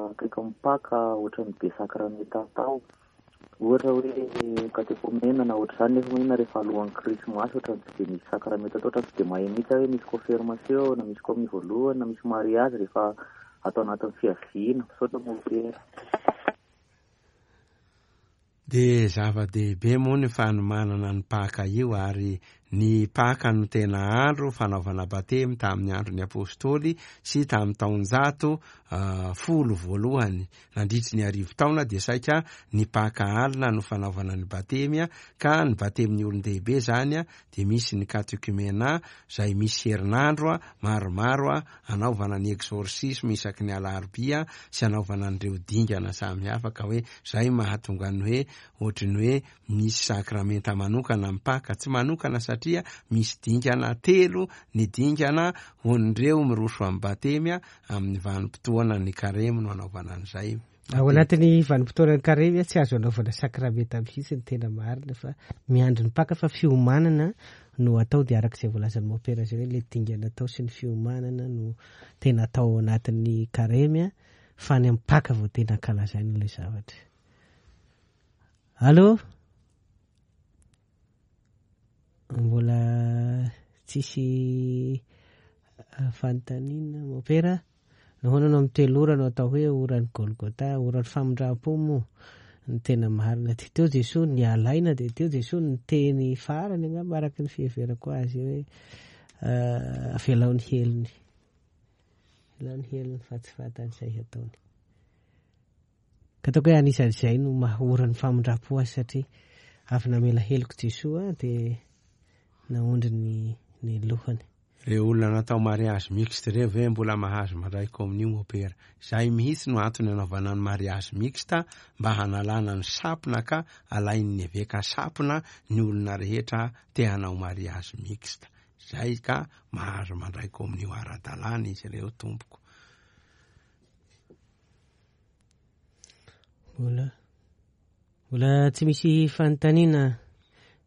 akaiky mipaka ohatran'ny be sakramenta atao, ohatra hoe katekomena na ohatr'izany, nefa maninona rehefa alohan'ny krismasy ohatran'ny tsy de misy sakramenta atao, ohatran'ny tsy de mahay mihitsy hoe misy confirmation na misy communion voalohany na misy mariage rehefa atao anatin'ny fiaviana. Misaotra mopera. De zava-dehibe moa ny fanomanana ny paka io, ary ny paka no tena andro fanaovana batemy tamin'ny andron'ny apôstôly sy tamin'ny taonjato folo voalohany nandritry ny arivo taona, de saika ny paka alina no fanaovana ny batemy, ka ny batemin'ny olon-dehibe zany a de misy ny katekumena zay misy herinandro maromaro anaovana ny exorcisme isaky ny alarobia sy anaovana an'ireo dingana samihafa, ka hoe zay mahatonga ny hoe ohatry ny hoe misy sakramenta manokana amin'ny paka, tsy manokana satria misy dingana telo ny dingana ho an'ireo miroso amin'ny batemy amin'ny vanim-potoana ny karemy no anaovana an'izay Ao anatin'ny vanim-potoanan'ny karemy tsy azo anaovana sakramenta mihitsy ny tena marina, fa miandry ny Paka fa fiomanana no atao, dia araka izay voalazan'ny mopera izay hoe le dingana atao sy ny fiomanana no tena atao ao anatin'ny karemy, fa any amin'ny Paka vao tena ankalazaina ilay zavatra. Allô? Mbola tsisy fanontaniana mopera? Nahoana no amin'ny telo ora no atao hoe oran'ny Golgotha, oran'ny famindram-po moa ny tena marina? Dia teo Jesoa nialaina, dia teo Jesoa niteny farany angamba araka ny fiheverako azy hoe avelao ny helony, avelao ny helony fa tsy fantany izay hataony. Ka ataoko hoe anisan'izay no maha oran'ny famindram-po azy, satria avy namela heloko Jesoa dia naondry ny ny lohany. Reo olona natao mariage mixte reo ve mbola mahazo mandray communion mopera? Zay mihitsy no antony anaovana ny mariage mixte, mba hanalana ny sampona ka alain'ny eveka sampona ny olona rehetra te hanao mariage mixte. Zay ka mahazo mandray communion ara-dalàna izy ireo tompoko. Mbola mbola tsy misy fanontaniana.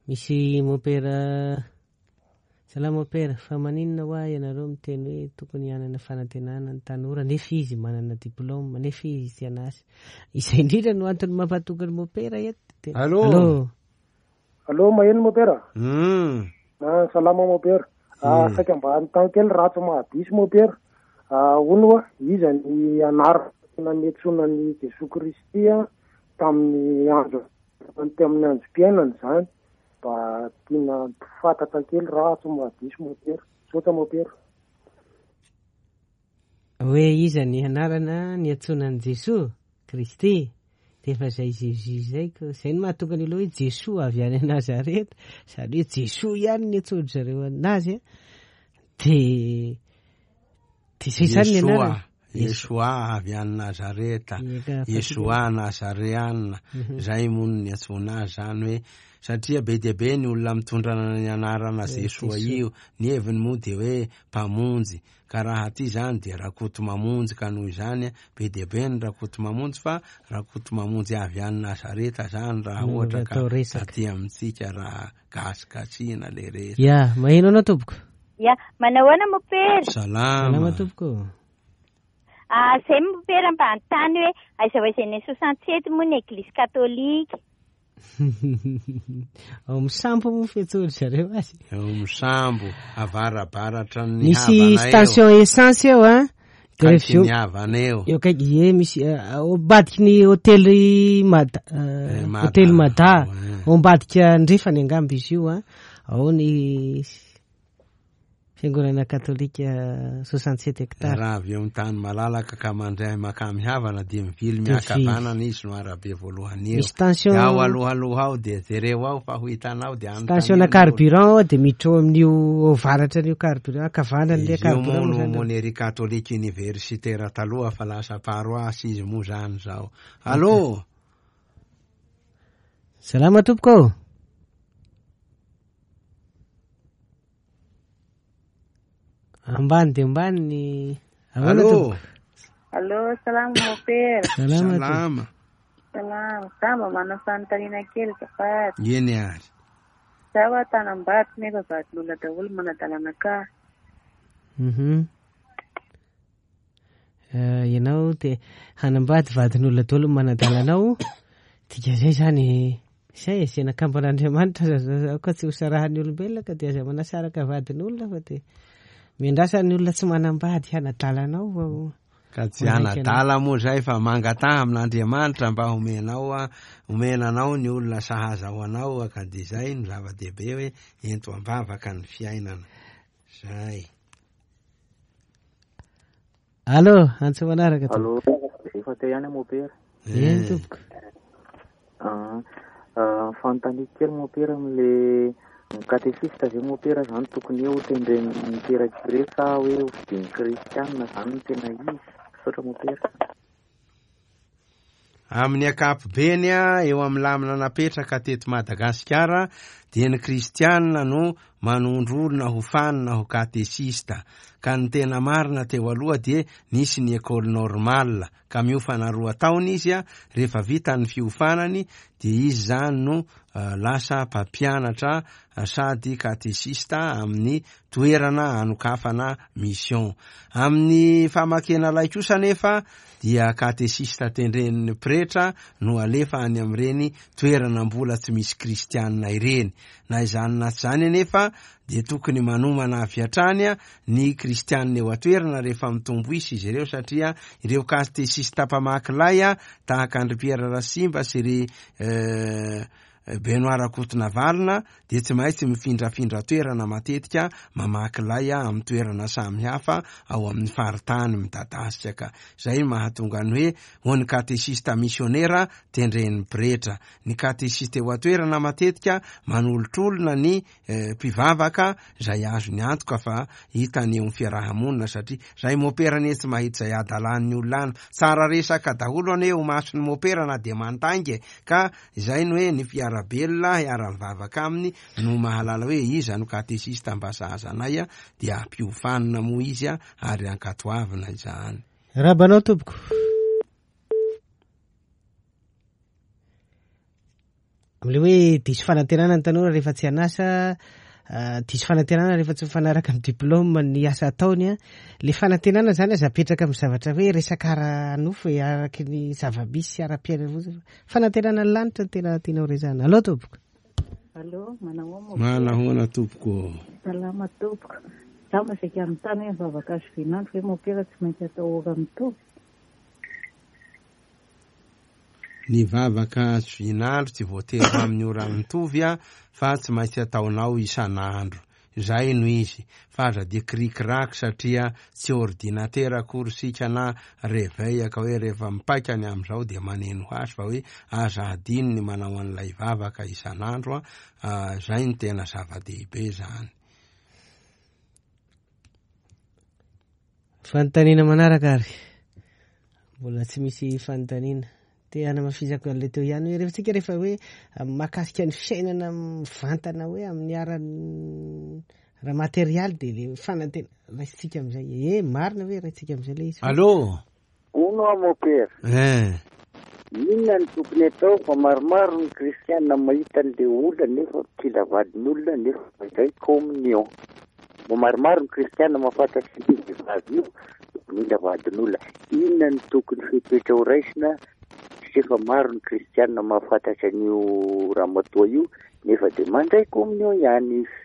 Misy mopera. Salama mopera, fa maninona hoa ianareo miteny hoe tokony hanana fanantenana ny tanora nefa izy manana diplôme, nefa izy tsy an'asa? Izay indrindra no antony mampatoky ny mopera eto. Allô? Allô? Allô, maheno mopera? Mm. Ah, salama mopera. Ah, saika mba hanontany kely raha tsy mahadiso mopera. Ah, hono hoa, iza ny anarana niantsoana an'i Jesoa Kristy tamin'ny andro, tamin'ny androm-piainany izany? Mba tiana fantatra kely raha tsy mahadiso mopera. Misaotra mopera. Hoe iza ny anarana niantsoana an'i Jesoa Kristy? Dia efa izay Jésus izay ko. Izay no mahatonga ny olona hoe Jesoa avy any Nazareta. Izany hoe Jesoa ihany ny antsoin-dry zareo anazy. Dia dia izay izany ny anarana. Yeshua avy any Nazareta, Yeshua Nazareana, zay moa no niantsoana azy zany hoe, satria be dia be ny olona mitondra ny anarana Jesoa io, ny heviny moa dia hoe mpamonjy, ka raha aty zany dia Rakoto Mamonjy, ka noho izany be dia be ny Rakoto Mamonjy, fa Rakoto Mamonjy avy any Nazareta zany raha ohatra ka aty amintsika raha gasigasina le resaka. Ya, maheno anao tompoko? Ya, manahoana mopera? Salama. Salama tompoko. Ah, zay mopera mba hanontany hoe aiza ho aiza ny soixante-sept moa ny église katolika? Ao misambo moa fiantsoan-dry zareo azy. Ao misambo, avarabaratra ny Misy havana eo. station essence eo a. Akaiky ny havana eo. Eo akaiky, ie, misy, ao ambadiky ny hôtely Mada, Eh, Mada. hôtely Mada. Ao ambadika andrefany angamba izy io a. Ao ny fiangonana katolika soixante-sept hectares. Raha avy eo amin'ny tany malalaka ka mandray makamy havana dia mivily Dia miakavanana izy no arabe voalohany eo. Misy station Dia ao alohaloha ao dia jereo ao fa ho hitanao dia anontaniana Station ny carburant ao dia miditra ao amin'io avaratra an'io carburant, ankavanana ilay Izy io moa carburant no zany. Monerie catholique universitaire taloha fa lasa paroisse izy moa zany zao. Allô? Salama tompoko. Ambany dia ambany ny ahoana Allô? tompoko? Allô, salama mopera. Salama tompoko. Salama. Salama, za mba manana fanontaniana kely azafady. Eny ary. Za hoa tanambady nefa vadin'olona daholo manadalana ka. Mhm. Eh, ianao te hanambady vadin'olona daholo manadalanao. Dika zay zany zay e, zay nakamban'Andriamanitra aoka tsy ho sarahan'ny olombelona ka dia aza manasaraka vadin'olona fa dia miandrasa ny olona tsy manambady hanadalanao vao Ka tsy hanadala moa zay fa mangataha amin'Andriamanitra mba homenao a, omenanao ny olona sahaza ho anao, ka dia zay no zava-dehibe hoe ento am-bavaka ny fiainana. Zay. Allô, antso manaraka Allô, tompoko. efa teo ihany mopera. Eny tompoko. Ah, ah, fanontaniako kely mopera amin'le katesista ve mopera zany tokony hoe ho tendren'ny mpirakire sa hoe ho fidin'ny kristianina zany no tena izy? Misaotra mopera. Amin'ny ankapobeny a, eo amin'ny lamina napetraka teto Madagasikara dia ny kristianina no manondro olona ho fanina ho katesista. Ka ny tena marina teo aloha dia nisy ny école normale, ka miofana roa taona izy a, rehefa vita ny fiofanany dia izy zany no lasa mpampianatra sady katesista amin'ny toerana anokafana mission. Amin'ny famakena lay kosa nefa dia katesista tendren'ny pretra no alefa any amin'ireny toerana mbola tsy misy kristianina ireny. Na izany na tsy izany anefa dia tokony manomana avy hatrany ny kristianina eo an-toerana rehefa mitombo isa izy ireo, satria ireo katesista mpamaky lay tahaka an-dry Pierre Rasimba sy ry Benoît Rakotonavalona dia tsy maintsy mifindrafindra toerana matetika mamaky lay amin'ny toerana samihafa ao amin'ny faritany midadasika. Ka zay mahatonga ny hoe ho ny katesista misionera tendren'ny pretra. Ny katesista eo an-toerana matetika manolotr'olona ny mpivavaka zay azony antoka fa hitany eo amin'ny fiarahamonina, satria zay mopera anie tsy mahita izay adalan'ny olona any. Tsara resaka daholo anie eo mason'ny mopera na dia mantainga, ka izay no hoe ny fiarabelona hiara-mivavaka aminy no mahalala hoe iza no katesista mba sahaza anay, dia ampiofanina moa izy ary ankatoavina izany. Rabanao tompoko. Amin'ilay hoe diso fanantenana ny tanora rehefa tsy an'asa, diso fanantenana rehefa tsy mifanaraka amin'ny diplôme ny asa ataony, le fanantenana zany aza apetraka amin'ny zavatra hoe resaka ara-nofo e, araky ny zava-misy ara-piainana fotsiny. Fanantenana ny lanitra no tena tianao resahana. Allo tompoko. Allo, manahoana? Manahoana tompoko. Salama tompoko. Za masaika anontany hoe mivavaka azo vinandro ve mopera tsy maintsy atao ora mitovy? Ny vavaka azo vinandro tsy voatery amin'ny ora mitovy a, fa tsy maintsy ataonao isan'andro. Izay no izy, fa aza dia kirikiraky satria tsy ordinateur akory isika na réveil ka hoe rehefa mipaika ny amin'izao dia maneno ho azy, fa hoe aza adino ny manao an'ilay vavaka isan'andro a, izay no tena zava-dehibe zany. Fanontaniana manaraka ary mbola tsy misy fanontaniana. Te hanamafizako an'ilay teo ihany hoe rehefa tsika rehefa hoe mahakasika ny fiainana mivantana hoe amin'ny ara materialy dia le fanantena raisitsika amin'izay. E marina hoe raisitsika amin'izay ilay izy. Allo. Hono aho mopera. Eh. Inona no tokony atao fa maromaro ny kristiana mahita an'ilay olona nefa kila vadin'olona nefa mandray communion. Maromaro ny kristiana mahafantatra io vehivavy io mila vadin'olona. Inona no tokony fepetra ho raisina? Efa maro ny kristiana mahafantatra an'io ramatoa io nefa dia mandray communion ihany izy.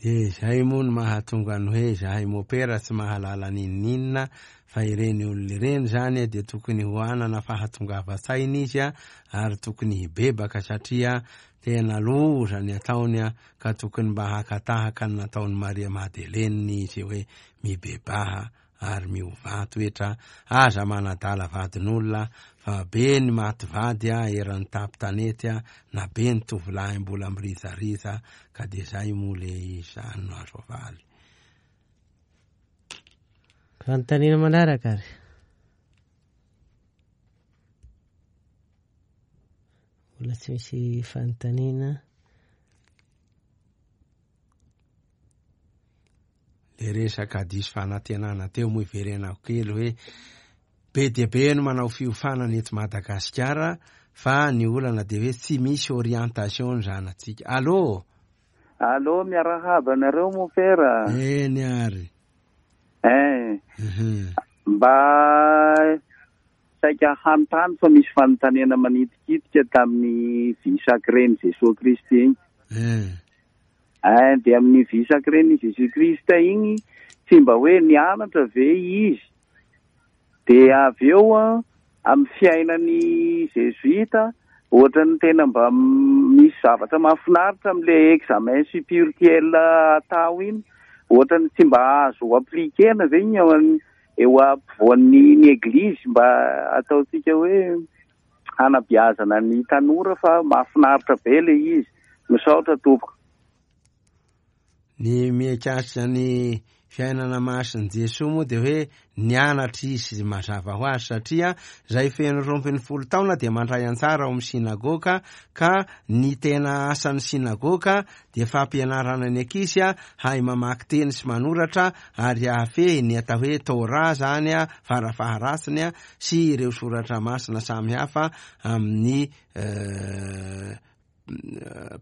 Dia izay moa no mahatonga ny hoe zahay mopera tsy mahalala n'inon'inona, fa ireny olona ireny zany dia tokony ho anana fahatongavan-tsaina izy ary tokony hibebaka, satria tena loza ny ataony, ka tokony mba hakatahaka ny nataon'i Maria Madeleine izy hoe mibebaha ary miovà toetra, aza manadala vadin'olona fa be ny maty vady eran'ny tapitanety na be ny tovolahy mbola mirizariza, ka dia zay moa le izy zany no azo avaly. Fanontaniana manaraka ary. Mbola tsy misy fanontaniana. Le resaka diso fanantenana teo moa iverenako kely hoe be dia be no manao fiofanana eto Madagasikara, fa ny olana dia hoe tsy misy orientation ny zanatsika. Allo. Allo, miarahaba anareo mopera. Eny ary. Eh. Mba saika hanontany fa misy fanontaniana manitikitika tamin'ny vie sacrée-n'i Jesoa Kristy iny. Eh. Eh, dia amin'ny vie sacrée-n'i Jésus Christ iny tsy mba hoe nianatra ve izy? Dia avy eo amin'ny fiainan'ny Jésuita ohatran'ny tena mba misy zavatra mahafinaritra amin'ilay examen spirituel atao iny, ohatran'ny tsy mba azo appliquer-na ve iny eo ampovoan'ny ny eglizy mba ataontsika hoe hanabeazana ny tanora, fa mahafinaritra be ilay izy. Misaotra tompoko. Ny mikasika ny Fiainana masin'i Jesoa moa dia hoe nianatra izy mazava ho azy, satria izay feno roa ambin'ny folo taona dia mandray anjara ao amin'ny synagoga, ka ny tena asan'ny synagoga dia fampianarana ny ankizy hahay mamaky teny sy manoratra ary hahafehy ny atao hoe Torah zany farafaharatsiny sy ireo soratra masina samihafa amin'ny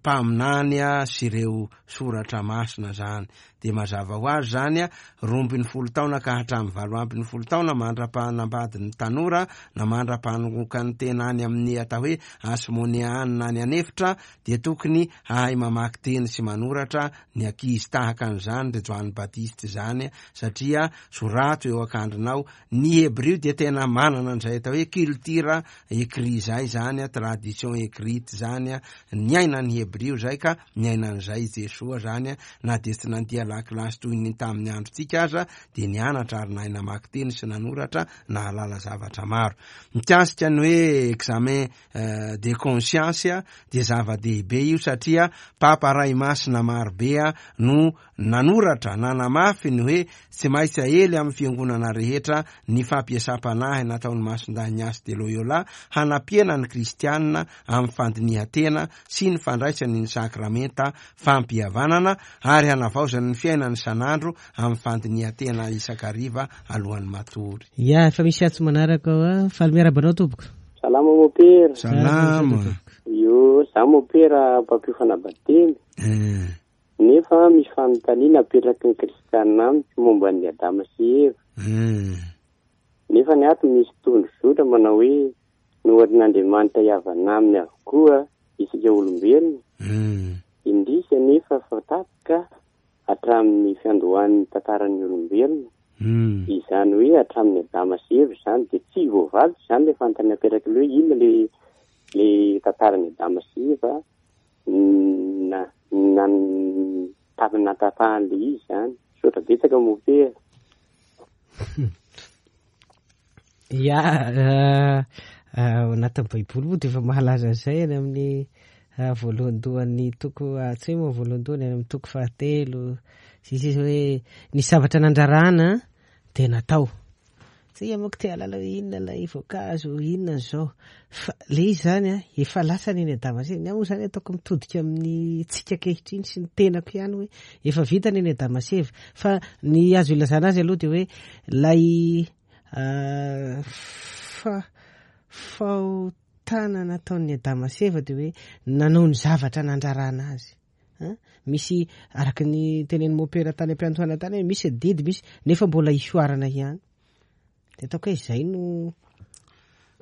mpaminany sy ireo soratra masina zany. Dia mazava ho azy zany roa ambin'ny folo taona ka hatramin'ny valo ambin'ny folo taona mandra-panambadin'ny tanora na mandra-panokan'ny tena any amin'ny atao hoe Asmoneanina any an'efitra dia tokony hahay mamaky teny sy manoratra ny ankizy tahaka an'izany ry Joany Batista zany, satria sorato eo an-kandrinao. Ny Hebrio dia tena manana an'izay atao hoe culture écrit zay zany, tradition écrite zany, niaina ny Hebrio zay ka niaina an'izay Jesoa zany, na dia tsy nandia lakilasy toy ny tamin'ny androntsika aza dia nianatra ary nahay namaky teny sy nanoratra, nahalala zavatra maro. Mikasika ny hoe examen de conscience dia zava-dehibe io, satria Papa Ray Masina marobe no nanoratra nanamafy ny hoe tsy maintsy aely amin'ny fiangonana rehetra ny fampiasam-panahy nataon'ny Masindahy Ignace de Loyola hanampiana ny kristianina amin'ny fandinihan-tena sy ny fandraisany ny sakramenta fampihavanana ary hanavaozany ny fiainany isan'andro amin'ny fandinihan-tena isan-kariva alohan'ny matory. Ya, efa misy antso manaraka ao a. Faly miarahaba anao tompoko. Salama mopera. Salama. Io, za mopera mpampiofana batemy. Eh. Nefa misy fanontaniana apetraky ny kristianina amiko momba ny Adama sy Eva. Eh. Nefa ny ato misy tondro zotra manao hoe noharin'Andriamanitra hihavana aminy avokoa isika olombelona. Eh. Indrisy anefa fa tapaka hatramin'ny fiandohan'ny tantaran'ny olombelona. Mm. Izany hoe hatramin'ny Adama sy Eva izany dia tsy voavaly izany le fanontaniana apetraky le hoe inona le le tantaran'ny Adama sy Eva na na natapahana le izy izany. Misaotra betsaka mopera. Ya, ao anatin'ny Baiboly moa dia efa mahalaza an'izay any amin'ny voalohandohan'ny toko, tsy hoe moa voalohandohany, any amin'ny toko fahatelo sy sisa hoe ny zavatra nandrarana dia natao. Tsy manko te hahalala hoe inona ilay voankazo, inona izao. Fa le izy zany a, efa lasa ny Adama sy Eva. Ny ahy moa zany ataoko mitodika amin'ny tsika ankehitriny sy ny tenako ihany hoe efa vita ny Adama sy Eva. Fa ny azo ilazana azy aloha dia hoe ilay fa fahotana nataon'ny Adama sy Eva dia hoe nanao ny zavatra nandrarana azy. Misy araka ny tenenin'ny mopera tany am-piandohana tany hoe misy adidy, misy nefa mbola isoarana ihany. Dia ataoko hoe izay no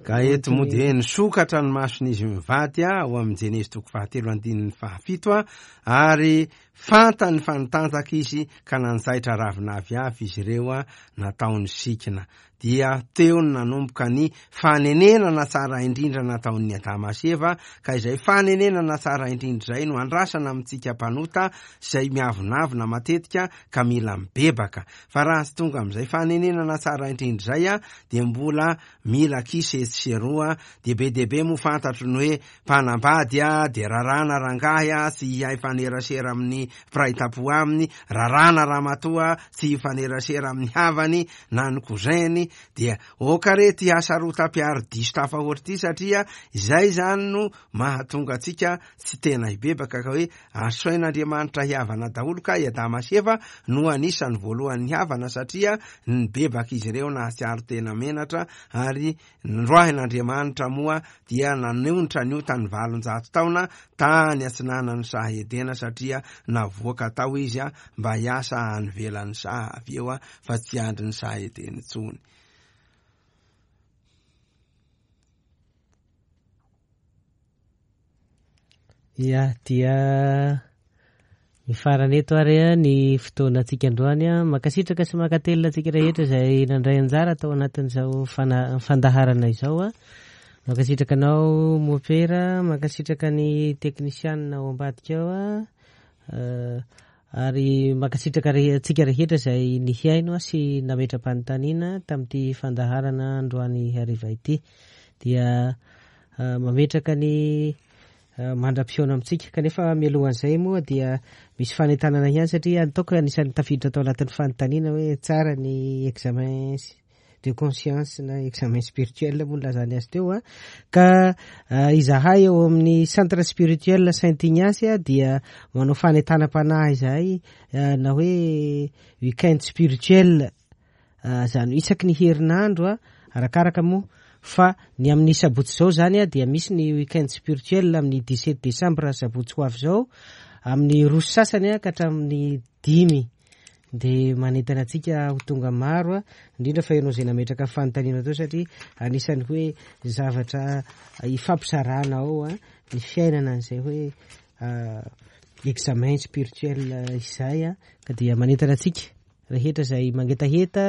Ka eto moa dia nisokatra ny mason'izy mivady ao amin'ny Jenezy toko fahatelo andininy fahafito a, ary fantany fa nitanjaka izy ka nanjaitra ravina aviavy izy ireo a, nataony sikina. Dia teo no nanomboka ny fanenenana tsara indrindra nataon'ny Adama sy Eva, ka izay fanenenana tsara indrindra izay no andrasana amintsika mpanota izay miavonavona matetika ka mila mibebaka. Fa raha tsy tonga amin'izay fanenenana tsara indrindra izay a, dia mbola mila kisy etsy sy eroa. Dia be dia be moa fantatro ny hoe mpanambady a, dia rarana rangahy a, tsy hihay fanerasera amin'ny mpiray tampo aminy, rarana ramatoa tsy hifanerasera amin'ny havany na ny cousin-ny. Dia oka re ty hasarotam-piaro diso tafahoatra ty, satria izay zany no mahatonga antsika tsy tena hibebaka, ka hoe asain'Andriamanitra hihavana daholo, ka i Adama sy Eva no anisan'ny voalohan'ny havana, satria nibebaka izy ireo nahatsiaro tena menatra, ary noroahin'Andriamanitra moa dia nanonitra ny otany valonjato taona tany atsinanan'ny saha Edena, satria navoaka tao izy a mba hiasa any ivelan'ny saha avy eo a, fa tsy andry ny saha Edena intsony. Ya, dia mifarana eto ary ny fotoanantsika androany. Mankasitraka sy mankatelina antsika rehetra izay nandray anjara tao anatin'izao fana- fandaharana izao. Mankasitraka anao mopera, mankasitraka ny teknisianina ao ambadika ao, ary mankasitraka antsika rehetra izay nihaino sy nametra-panontaniana tamin'ity fandaharana androany hariva ity. Dia mametraka ny mandra-pihaona amintsika. Kanefa mialohan'izay moa dia misy fanentanana ihany, satria ataoko anisan'ny tafiditra tao anatin'ny fanontaniana hoe tsara ny examen de conscience na examen spirituel moa nilazany azy teo a. Ka izahay eo amin'ny centre spirituel Saint Ignace a dia manao fanentanam-panahy izahay, na hoe weekend spirituel, zany isaky ny herinandro a, arakaraka moa fa ny amin'ny sabotsy zao zany a dia misy ny weekend spirituel amin'ny dix-sept décembre, sabotsy ho avy zao, amin'ny roa sy sasany a ka hatramin'ny dimy. De manentana antsika ho tonga maro a, indrindra fa ianao izay nametraka fanontaniana teo, satria anisan'ny hoe zavatra ifampizarana ao a ny fiainana an'izay hoe examen spirituel izay a. Ka dia manentana antsika rehetra izay mangetaheta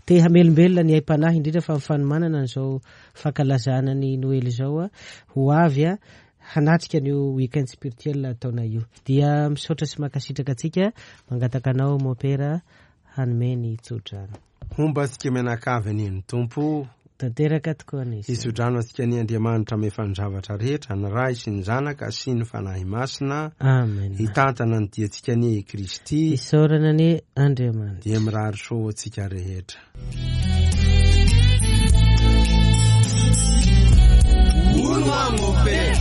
te hamelombelona ny aim-panahy, indrindra fa fanomanana an'izao fankalazana ny Noely izao a, ho avy a hanatrika an'io weekend spirituel ataonay io. Dia misaotra sy mankasitraka antsika, mangataka anao mopera hanome ny tsodrano. Homba antsika mianakavy anie ny Tompo. Tanteraka tokoa ny izany. Hitsodrano antsika ny Andriamanitra mahefa ny zavatra rehetra, ny Ray sy ny Zanaka sy ny Fanahy Masina. Amen. Hitantana ny diantsika anie i Kristy. Isaorana anie Andriamanitra. Dia mirary soa ho antsika rehetra. Hono aho mopera.